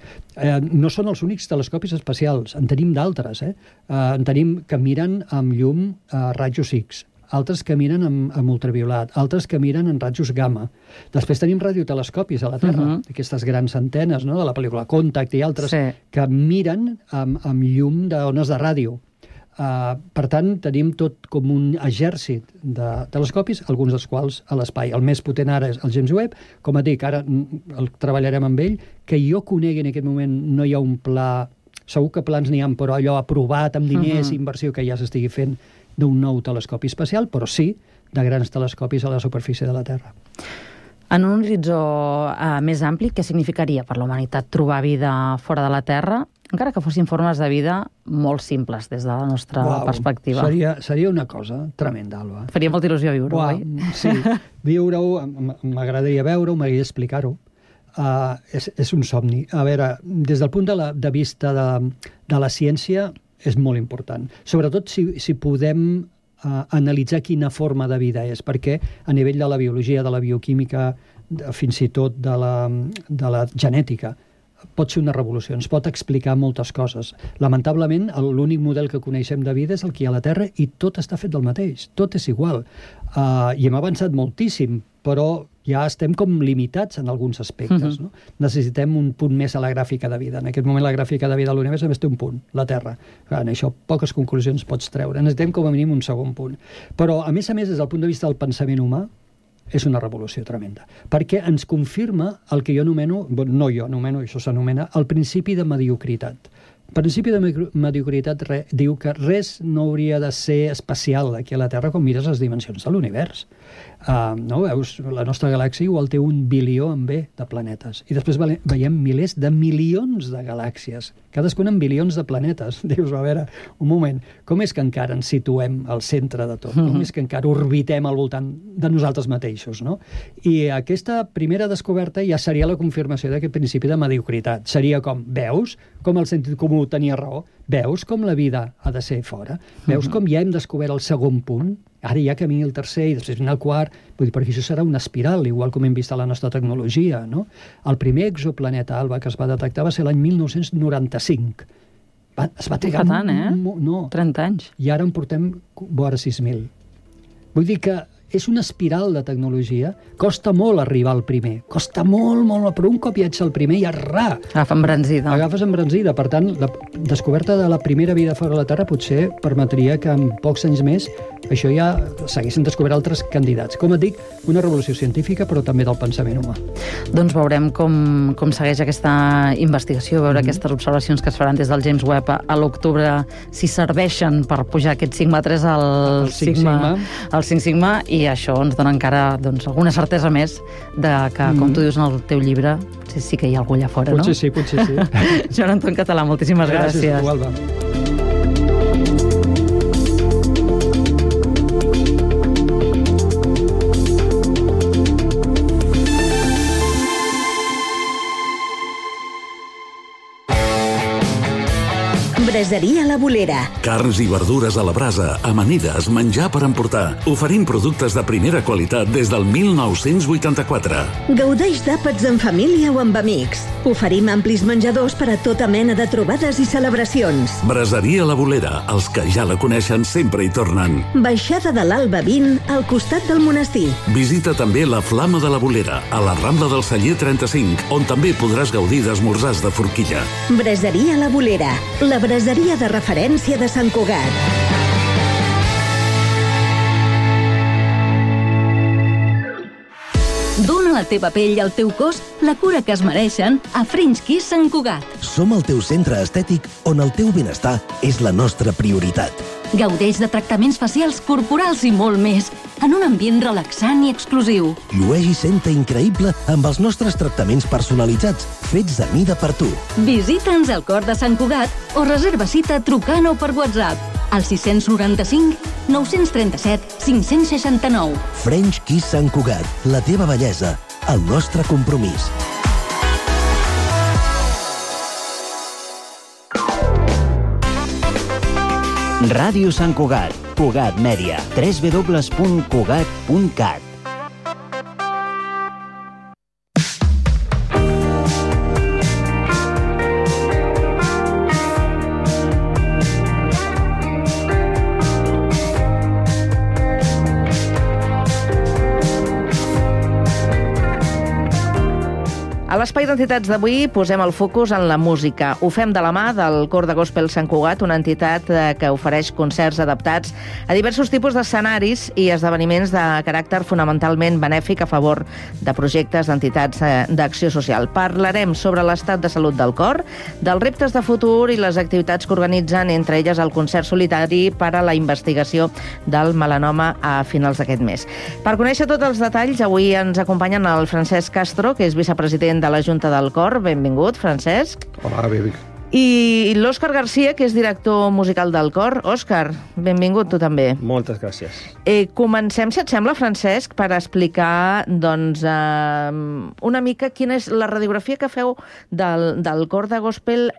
No són els únics telescopis espacials, en tenim d'altres. En tenim que miren amb llum rajos X, altres que miren amb ultraviolat, altres que miren en rajos gamma. Després tenim radiotelescopis a la Terra, aquestes grans antenes, no?, de la pel·lícula Contact i altres, que miren amb llum d'ones de ràdio. Per tant, tenim tot com un exèrcit de telescopis, alguns dels quals a l'espai. El més potent ara és el James Webb. Com et dic, ara el treballarem amb ell. Que jo conegui en aquest moment no hi ha un pla... Segur que plans n'hi ha, però allò aprovat amb diners i inversió que ja s'estigui fent d'un nou telescopi espacial, però sí de grans telescopis a la superfície de la Terra. En un horitzó més ampli, què significaria per la humanitat trobar vida fora de la Terra, encara que fossin formes de vida molt simples des de la nostra perspectiva? Seria una cosa tremenda, Alba. Faria molta il·lusió viure-ho, oi? Sí, viure-ho, m'agradaria veure-ho, m'agradaria explicar-ho. És un somni. A veure, des del punt de vista de la ciència és molt important. Sobretot si podem analitzar quina forma de vida és, perquè a nivell de la biologia, de la bioquímica, fins i tot de la genètica, pot ser una revolució, ens pot explicar moltes coses. Lamentablement, l'únic model que coneixem de vida és el que hi ha a la Terra i tot està fet del mateix, tot és igual. I hem avançat moltíssim, però ja estem com limitats en alguns aspectes. No? Necessitem un punt més a la gràfica de vida. En aquest moment la gràfica de vida de l'univers només té un punt, la Terra. En això poques conclusions pots treure. Necessitem com a mínim un segon punt. Però, a més, des del punt de vista del pensament humà, és una revolució tremenda, perquè ens confirma el que jo anomeno, no jo anomeno, això s'anomena el principi de mediocritat. principi de mediocritat diu que res no hauria de ser especial aquí a la Terra com mires les dimensions de l'univers. No? Veus, la nostra galàxia igual té 1 bilió en B de planetes. I després veiem milers de milions de galàxies, cadascuna amb bilions de planetes. Dius, a veure, un moment, com és que encara ens situem al centre de tot? Com és que encara orbitem al voltant de nosaltres mateixos? No? I aquesta primera descoberta ja seria la confirmació d'aquest principi de mediocritat. Seria com, veus com el sentit comú tenia raó? Veus com la vida ha de ser fora? Veus com ja hem descobert el segon punt? Ara ja camini el tercer i després vine el quart. Vull dir, perquè això serà una espiral, igual com hem vist a la nostra tecnologia, no? El primer exoplaneta alba que es va detectar va ser l'any 1995. Es va trigar... Tant, eh? No. 30 anys. I ara en portem vora 6.000. Vull dir que és una espiral de tecnologia. Costa molt arribar al primer. Costa molt, però un cop hi ets al primer i arrà. Agafa embranzida. Agafes embranzida. Per tant, la descoberta de la primera vida fora de la Terra potser permetria que en pocs anys més això ja s'haguessin descobert altres candidats. Com et dic, una revolució científica, però també del pensament humà. Doncs veurem com segueix aquesta investigació, veure aquestes observacions que es faran des del James Webb a l'octubre, si serveixen per pujar aquest sigma 3 al 5 sigma, i això ens dona encara alguna certesa més de que, com tu dius en el teu llibre, sí que hi ha algú allà fora, no? Potser sí. Joan Anton Català, moltíssimes gràcies. Gràcies, tu, Alba. Braseria La Bolera. Carns i verdures a la brasa, amanides, menjar per emportar. Oferim productes de primera qualitat des del 1984. Gaudeix d'àpats en família o amb amics. Oferim amplis menjadors per a tota mena de trobades i celebracions. Braseria La Bolera. Els que ja la coneixen sempre hi tornen. Baixada de l'Alba 20, al costat del monestir. Visita també la Flama de la Bolera, a la Rambla del Celler 35, on també podràs gaudir d'esmorzars de forquilla. Braseria La Bolera. La braseria de referència de Sant Cugat. Dóna a la teva pell i al teu cos la cura que es mereixen a French Kiss Sant Cugat. Som el teu centre estètic on el teu benestar és la nostra prioritat. Gaudeix de tractaments facials, corporals i molt més, en un ambient relaxant i exclusiu. Llueix i senta increïble amb els nostres tractaments personalitzats, fets a mida per tu. Visita'ns al cor de Sant Cugat o reserva cita trucant o per WhatsApp al 695 937 569. French Kiss Sant Cugat, la teva bellesa, el nostre compromís. Ràdio Sant Cugat, Cugat Mèdia, www.cugat.cat. A l'Espai d'Entitats d'avui posem el focus en la música. Ho fem de la mà del Cor de Gospel Sant Cugat, una entitat que ofereix concerts adaptats a diversos tipus d'escenaris i esdeveniments de caràcter fonamentalment benèfic a favor de projectes d'entitats d'acció social. Parlarem sobre l'estat de salut del cor, dels reptes de futur i les activitats que organitzen, entre elles el concert solitari per a la investigació del melanoma a finals d'aquest mes. Per conèixer tots els detalls, avui ens acompanyen el Francesc Castro, que és vicepresident de la Junta del Cor. Benvingut, Francesc. Hola, benvingut. I l'Òscar Garcia, que és director musical del Cor. Òscar, benvingut tu també. Moltes gràcies. Comencem, si et sembla, Francesc, per explicar una mica quina és la radiografia que feu del Cor de Gospel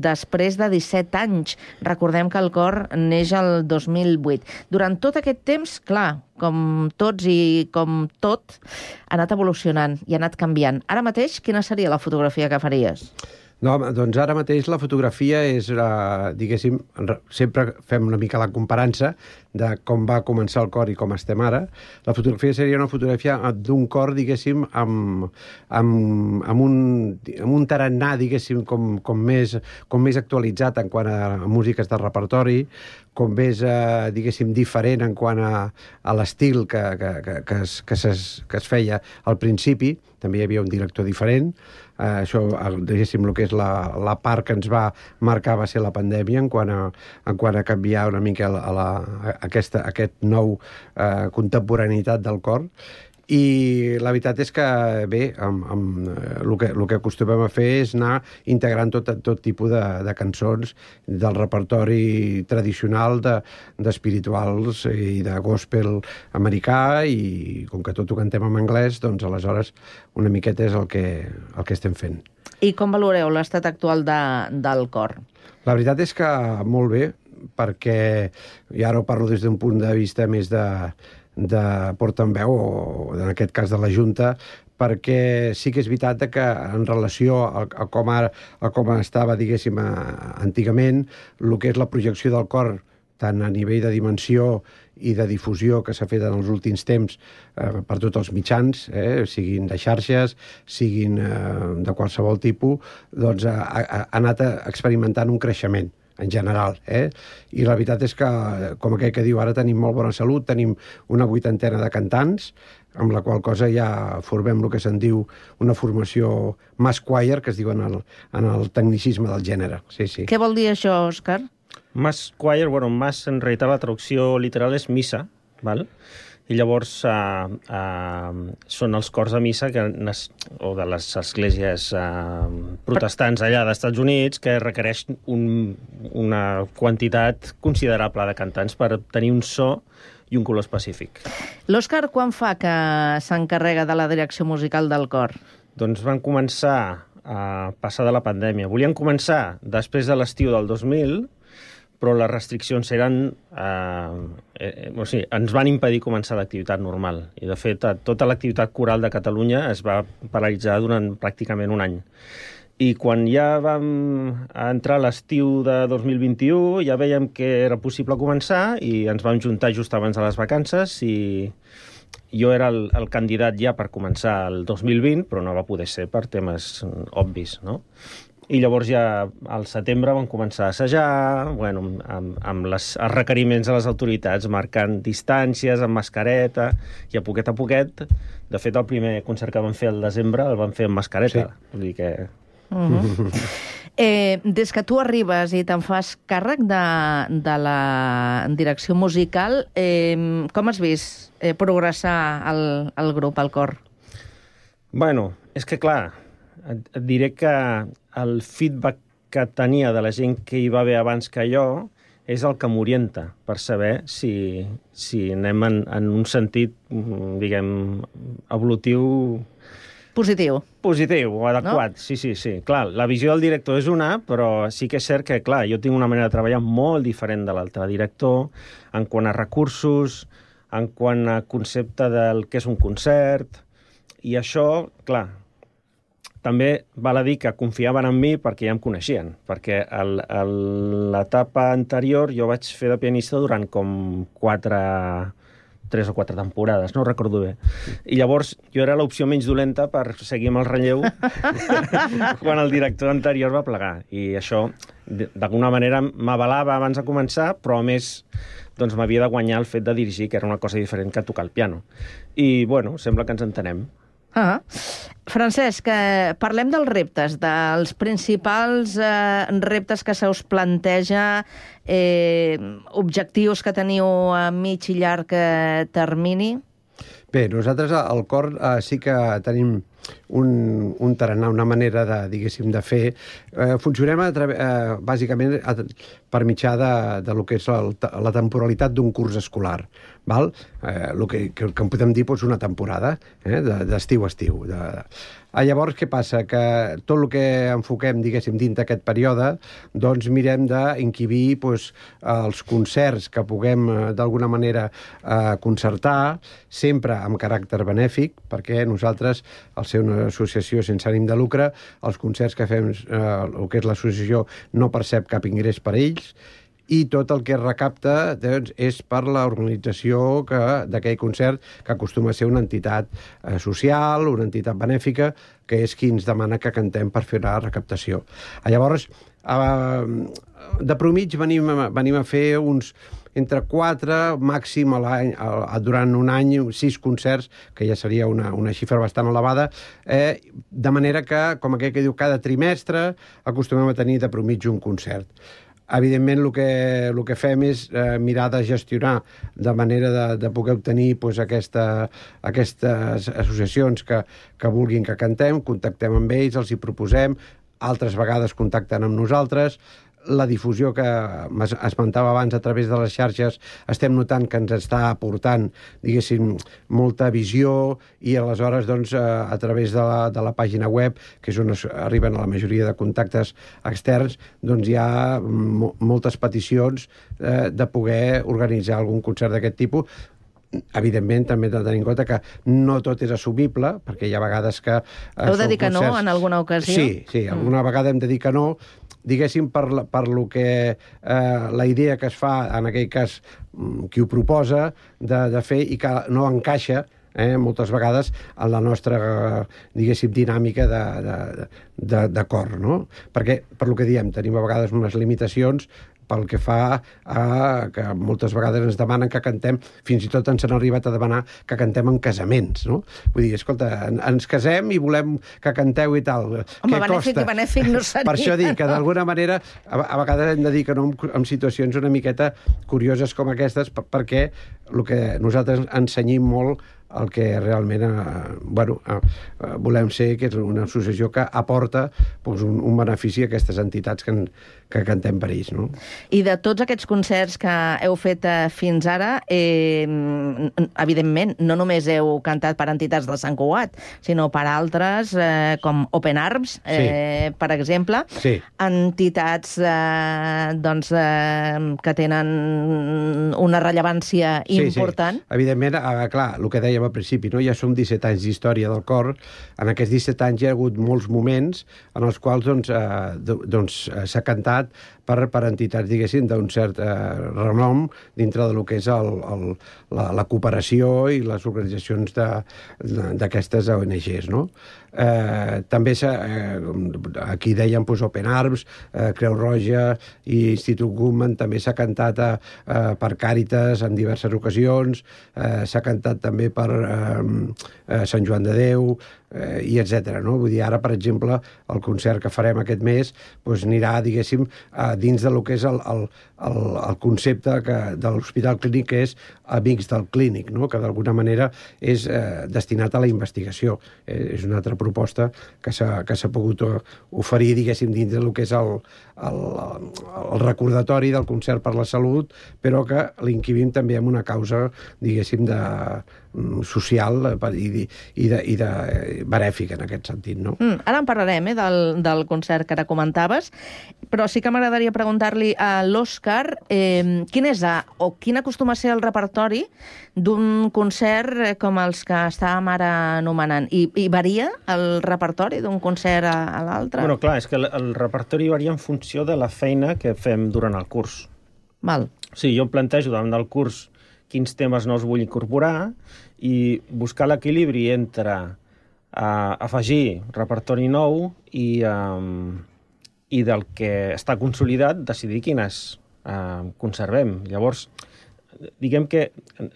després de 17 anys. Recordem que el Cor neix el 2008. Durant tot aquest temps, clar, com tots i com tot, ha anat evolucionant i ha anat canviant. Ara mateix, quina seria la fotografia que faries? No, doncs ara mateix la fotografia és, diguéssim, sempre fem una mica la comparança de com va començar el cor i com estem ara. La fotografia seria una fotografia d'un cor, diguéssim, amb un tarannà, diguéssim, com més actualitzat en quant a músiques de repertori, com més, diguéssim, diferent en quant a l'estil que es feia al principi. També hi havia un director diferent. això, diguéssim, el que és la part que ens va marcar va ser la pandèmia en quant a canviar una mica aquest nou contemporaneïtat del cor. I la veritat és que, bé, el que acostumem a fer és anar integrant tot tipus de cançons del repertori tradicional d'espirituals i de gospel americà, i com que tot ho cantem en anglès, doncs aleshores una miqueta és el que estem fent. I com valoreu l'estat actual del cor? La veritat és que molt bé, perquè, i ara ho parlo des d'un punt de vista més de portaveu, o en aquest cas de la Junta, perquè sí que és veritat que en relació a com estava, diguéssim, antigament, el que és la projecció del cor, tant a nivell de dimensió i de difusió que s'ha fet en els últims temps per tots els mitjans, siguin de xarxes, siguin de qualsevol tipus, doncs ha anat experimentant un creixement en general, I la veritat és que, com aquell que diu, ara tenim molt bona salut, tenim una 80ena de cantants, amb la qual cosa ja formem el que se'n diu una formació mass choir, que es diu en el tecnicisme del gènere. Sí, sí. Què vol dir això, Òscar? Mass choir, bueno, mass en realitat la traducció literal és missa, val? I llavors són els cors de missa o de les esglésies protestants allà dels Estats Units, que requereix una quantitat considerable de cantants per tenir un so i un color específic. L'Òscar, quan fa que s'encarrega de la direcció musical del cor? Doncs van començar a passar de la pandèmia. Volien començar després de l'estiu del 2000, però les restriccions ens van impedir començar l'activitat normal. I, de fet, tota l'activitat coral de Catalunya es va paralitzar durant pràcticament un any. I quan ja vam entrar a l'estiu de 2021, ja veiem que era possible començar i ens vam juntar just abans de les vacances i jo era el candidat ja per començar el 2020, però no va poder ser per temes obvis, no? I llavors ja al setembre vam començar a assajar, amb els requeriments de les autoritats, marcant distàncies, amb mascareta, i a poquet, de fet el primer concert que vam fer al desembre el vam fer amb mascareta. Sí. Vull dir que... Des que tu arribes i te'n fas càrrec de la direcció musical, com has vist progressar el grup, el cor? Bueno, és que clar, et diré que el feedback que tenia de la gent que hi va haver abans que jo és el que m'orienta per saber si anem en un sentit, diguem, evolutiu... Positiu. Positiu o adequat, no? Sí. Clar, la visió del director és una, però sí que és cert que, clar, jo tinc una manera de treballar molt diferent de l'altre director en quant a recursos, en quant a concepte del que és un concert, i això, clar, també val a dir que confiaven en mi perquè ja em coneixien, perquè a l'etapa anterior jo vaig fer de pianista durant com 3 o 4 temporades, no recordo bé. I llavors jo era l'opció menys dolenta per seguir amb el relleu quan el director anterior va plegar. I això, d'alguna manera, m'avalava abans de començar, però a més doncs m'havia de guanyar el fet de dirigir, que era una cosa diferent que tocar el piano. I, bueno, sembla que ens entenem. Francesc, parlem dels reptes, dels principals reptes que se us planteja, objectius que teniu a mig i llarg termini. Bé, nosaltres al cor sí que tenim un tarannà, una manera de, diguéssim, de fer. Funcionem bàsicament per mitjà de lo que és la temporalitat d'un curs escolar. Val? El que en podem dir és una temporada, d'estiu a estiu. Llavors, què passa? Que tot el que enfoquem, diguéssim, dins d'aquest període, doncs mirem d'encabir els concerts que puguem, d'alguna manera, concertar, sempre amb caràcter benèfic, perquè nosaltres, al ser una associació sense ànim de lucre, els concerts que fem, el que és l'associació, no percep cap ingrés per ells, i tot el que es recapta és per l'organització d'aquell concert, que acostuma a ser una entitat social, una entitat benèfica, que és qui ens demana que cantem per fer la recaptació. Llavors, de promig venim a fer uns entre 4, màxim a l'any, durant un any, 6 concerts, que ja seria una xifra bastant elevada, de manera que, com aquell que diu, cada trimestre acostumem a tenir de promitja un concert. Evidentment, el que fem és mirar de gestionar de manera de poder obtenir aquestes associacions que vulguin que cantem, contactem amb ells, els hi proposem, altres vegades contacten amb nosaltres. La difusió que esmentava abans a través de les xarxes estem notant que ens està aportant, diguéssim, molta visió, i aleshores, doncs, a través de la pàgina web, que és on arriben a la majoria de contactes externs, doncs hi ha moltes peticions de poder organitzar algun concert d'aquest tipus. Evidentment, també hem de tenir en compte que no tot és assumible, perquè hi ha vegades que... Heu de dir que no en alguna ocasió? Sí, alguna vegada hem de dir que no, diguéssim, per lo que la idea que es fa, en aquell cas, qui ho proposa, de fer, i que no encaixa moltes vegades en la nostra, diguéssim, dinàmica de cor, no? Perquè, per lo que diem, tenim a vegades unes limitacions pel que fa a que moltes vegades ens demanen que cantem, fins i tot ens han arribat a demanar que cantem en casaments, no? Vull dir, escolta, ens casem i volem que canteu i tal. Home, benèfic no seria. Per això dic que d'alguna manera a vegades hem de dir que no en situacions una miqueta curioses com aquestes, perquè el que nosaltres ensenyim molt el que realment volem ser, que és una associació que aporta un benefici a aquestes entitats que cantem per ells, no? I de tots aquests concerts que heu fet fins ara, evidentment, no només heu cantat per entitats de Sant Cugat, sinó per altres, com Open Arms, per exemple, entitats que tenen una rellevància important. Sí. Evidentment, clar, el que dèiem al principi, no? Ja som 17 anys d'història del cor. En aquests 17 anys hi ha hagut molts moments en els quals s'ha cantat per entitats, diguéssim, d'un cert renom dintre del que és la cooperació i les organitzacions d'aquestes ONGs, no? També aquí dèiem Open Arms, Creu Roja i Institut Guttmann, també s'ha cantat per Càritas en diverses ocasions, s'ha cantat també per Sant Joan de Déu, i etc. No? Vull dir, ara, per exemple, el concert que farem aquest mes anirà, diguéssim, dins del que és el concepte de l'Hospital Clínic, que és Amics del Clínic, no? Que d'alguna manera és destinat a la investigació. És una altra proposta que s'ha pogut oferir, diguéssim, dins del que és el recordatori del concert per la salut, però que l'inquivim també amb una causa, diguéssim, social i de benèfica en aquest sentit, no? Ara en parlarem, del concert que ara comentaves, però sí que m'agradaria preguntar-li a l'Òscar quin acostuma a ser el repertori d'un concert com els que estàvem ara anomenant. I varia el repertori d'un concert a l'altre? Bueno, clar, és que el repertori varia en funció de la feina que fem durant el curs. Val. Sí, jo em plantejo davant del curs quins temes nous vull incorporar i buscar l'equilibri entre afegir repertori nou i del que està consolidat decidir quines conservem. Llavors, diguem que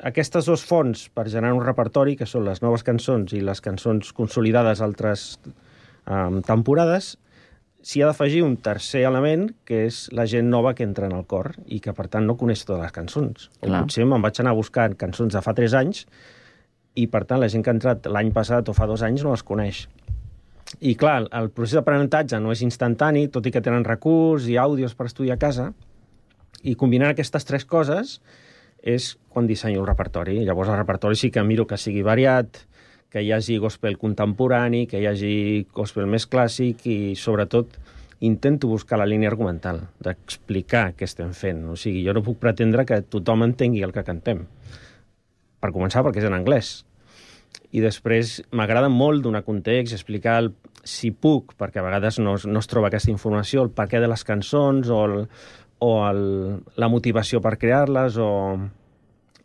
aquestes dues fonts per generar un repertori, que són les noves cançons i les cançons consolidades altres temporades, s'hi ha d'afegir un tercer element, que és la gent nova que entra en el cor i que, per tant, no coneix totes les cançons. O potser me'n vaig anar buscant cançons de fa 3 anys i, per tant, la gent que ha entrat l'any passat o fa 2 anys no les coneix. I, clar, el procés d'aprenentatge no és instantani, tot i que tenen recurs i àudios per estudiar a casa, i combinant aquestes 3 coses és quan dissenyo el repertori. Llavors, el repertori sí que miro que sigui variat, que hi hagi gospel contemporani, que hi hagi gospel més clàssic i, sobretot, intento buscar la línia argumental, d'explicar què estem fent. O sigui, jo no puc pretendre que tothom entengui el que cantem. Per començar, perquè és en anglès. I després m'agrada molt donar context, explicar, si puc, perquè a vegades no es troba aquesta informació, el perquè de les cançons o la motivació per crear-les o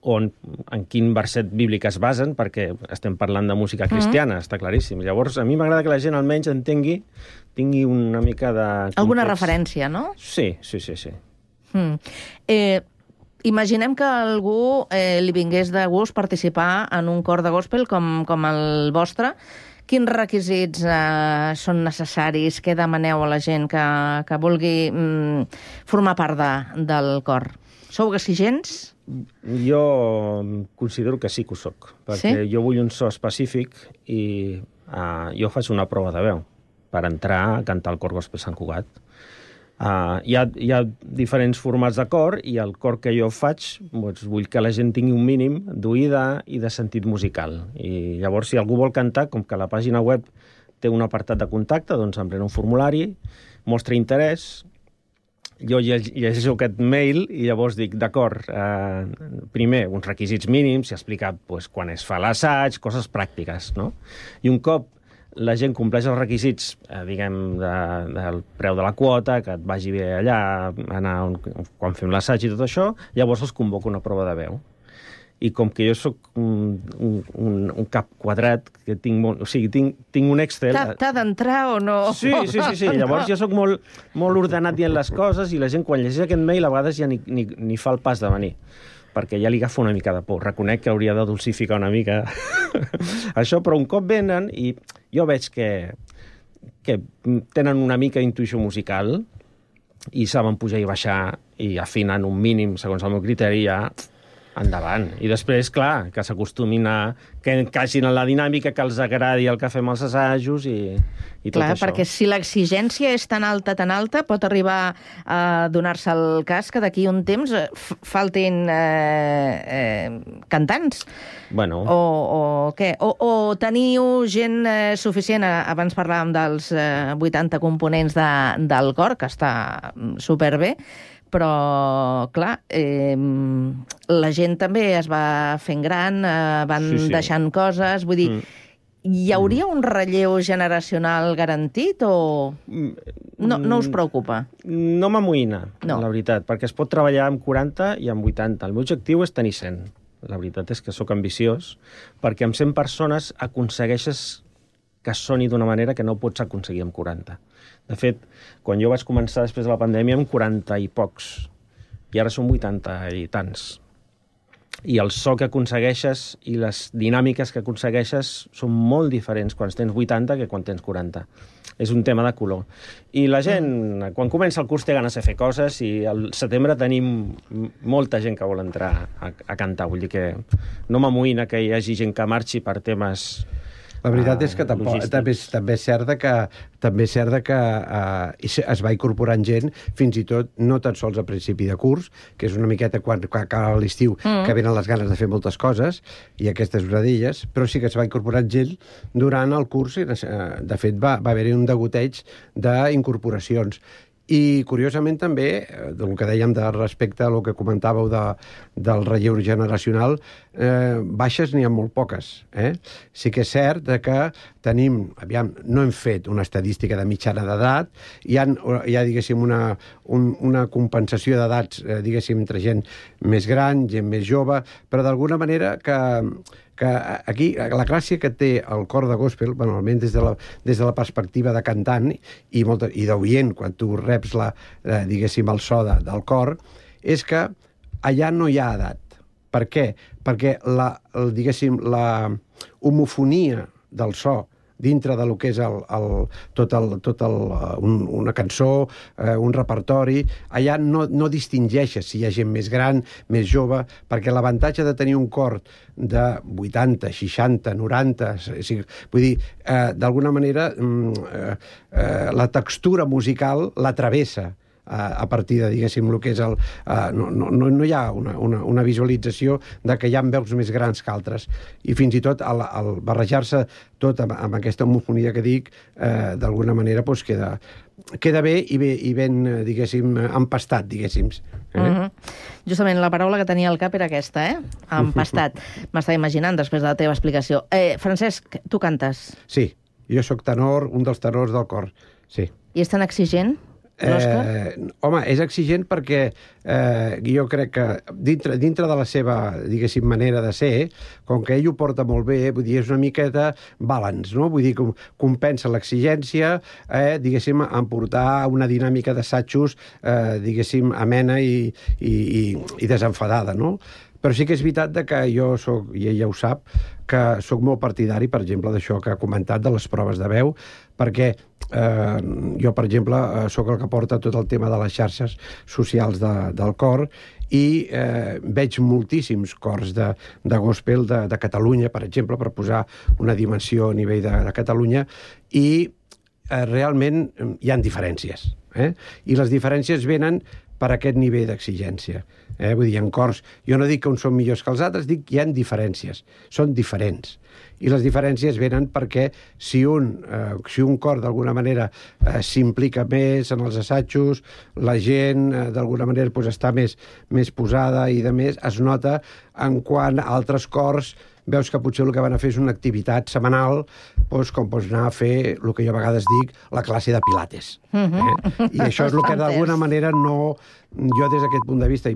en quin verset bíblic es basen, perquè estem parlant de música cristiana, està claríssim. Llavors, a mi m'agrada que la gent almenys tingui una mica de context. Alguna referència, no? Sí. Imaginem que algú li vingués de gust participar en un cor de gospel com el vostre. Quins requisits són necessaris? Què demaneu a la gent que vulgui formar part del cor? Sou exigents? Jo considero que sí que ho soc, perquè jo vull un so específic i jo faig una prova de veu per entrar a cantar al cor gospel Sant Cugat. Hi ha diferents formats de cor i el cor que jo faig vull que la gent tingui un mínim d'oïda i de sentit musical. I llavors, si algú vol cantar, com que la pàgina web té un apartat de contacte, doncs emprena un formulari, mostra interès, jo llegeixo aquest mail i llavors dic, d'acord, primer, uns requisits mínims, s'ha explicat quan es fa l'assaig, coses pràctiques, no? I un cop la gent compleix els requisits, diguem, del preu de la quota, que et vagi bé allà, anar quan fem l'assaig i tot això, llavors els convoco una prova de veu. I com que jo sóc un cap quadrat, que tinc un Excel... T'ha d'entrar o no? Sí. Llavors jo sóc molt ordenat dient les coses i la gent, quan llegeix aquest mail, a vegades ja ni fa el pas de venir, perquè ja li agafa una mica de por. Reconec que hauria de dulcificar una mica això, però un cop venen i jo veig que tenen una mica d'intuïció musical i saben pujar i baixar i afinen un mínim, segons el meu criteri, ja endavant. I després, clar, que s'acostumin que encaixin en la dinàmica, que els agradi el que fem als assajos i tot això. Clar, perquè si l'exigència és tan alta, pot arribar a donar-se el cas que d'aquí un temps faltin cantants. Bueno. O què? O teniu gent suficient, abans parlàvem dels 80 components del cor, que està superbé, però, clar, la gent també es va fent gran, van deixant coses, vull dir, hi hauria un relleu generacional garantit o no us preocupa? No m'amoïna, la veritat, perquè es pot treballar amb 40 i amb 80. El meu objectiu és tenir 100. La veritat és que sóc ambiciós, perquè amb 100 persones aconsegueixes que soni d'una manera que no pots aconseguir amb 40. De fet, quan jo vaig començar després de la pandèmia amb 40 i pocs, i ara són 80 i tants. I el so que aconsegueixes i les dinàmiques que aconsegueixes són molt diferents quan tens 80 que quan tens 40. És un tema de color. I la gent, quan comença el curs, té ganes de fer coses i al setembre tenim molta gent que vol entrar a cantar. Vull dir que no m'amoïna que hi hagi gent que marxi per temes... La veritat és que també és cert que es va incorporant gent, fins i tot no tan sols a principi de curs, que és una miqueta quan acaba l'estiu, que venen les ganes de fer moltes coses, i aquesta és una d'elles, però sí que es va incorporant gent durant el curs, i de fet va haver-hi un degoteig d'incorporacions. I, curiosament, també, del que dèiem respecte a el que comentàveu del relleu generacional, baixes n'hi ha molt poques. Sí que és cert que tenim, no hem fet una estadística de mitjana d'edat, hi ha diguéssim, una compensació d'edats, diguéssim, entre gent més gran, gent més jove, però d'alguna manera que aquí la gràcia que té el cor de gospel, almenys des de la perspectiva de cantant i d'oient, quan tu reps diguéssim, el so del cor, és que allà no hi ha edat. Per què? Perquè diguéssim, la homofonia del so dintre del que és una cançó, un repertori, allà no distingeixes si hi ha gent més gran, més jove, perquè l'avantatge de tenir un cor de 80, 60, 90, vull dir, d'alguna manera la textura musical la travessa a partir de, diguéssim, el que és no hi ha una visualització de que hi ha veus més grans que altres. I fins i tot al barrejar-se tot amb aquesta homofonia que dic, d'alguna manera queda bé i ben, diguéssim, empastat, diguéssim. Justament la paraula que tenia al cap era aquesta, empastat. M'estava imaginant després de la teva explicació. Francesc, tu cantes? Sí, jo sóc tenor, un dels tenors del cor, sí. I és tan exigent? Home, és exigent perquè jo crec que dintre de la seva, diguéssim, manera de ser, com que ell ho porta molt bé, vull dir, és una miqueta balance, no? Vull dir, compensa l'exigència, diguéssim, en portar una dinàmica d'assajos, diguéssim, amena i desenfadada, no? Però sí que és veritat que jo soc, i ella ho sap, que soc molt partidari, per exemple, d'això que ha comentat, de les proves de veu, perquè jo, per exemple, sóc el que porta tot el tema de les xarxes socials del cor i veig moltíssims cors de gospel de Catalunya, per exemple, per posar una dimensió a nivell de Catalunya, i realment hi ha diferències. I les diferències venen per aquest nivell d'exigència. Vull dir, en cors, jo no dic que uns són millors que els altres, dic que hi ha diferències, són diferents. I les diferències venen perquè si un cor d'alguna manera s'implica més en els assajos, la gent d'alguna manera està més posada i de més, es nota en quant a altres cors veus que potser el que van a fer és una activitat setmanal, com pots anar a fer el que jo a vegades dic, la classe de pilates. I això és el que d'alguna manera no... Jo des d'aquest punt de vista, i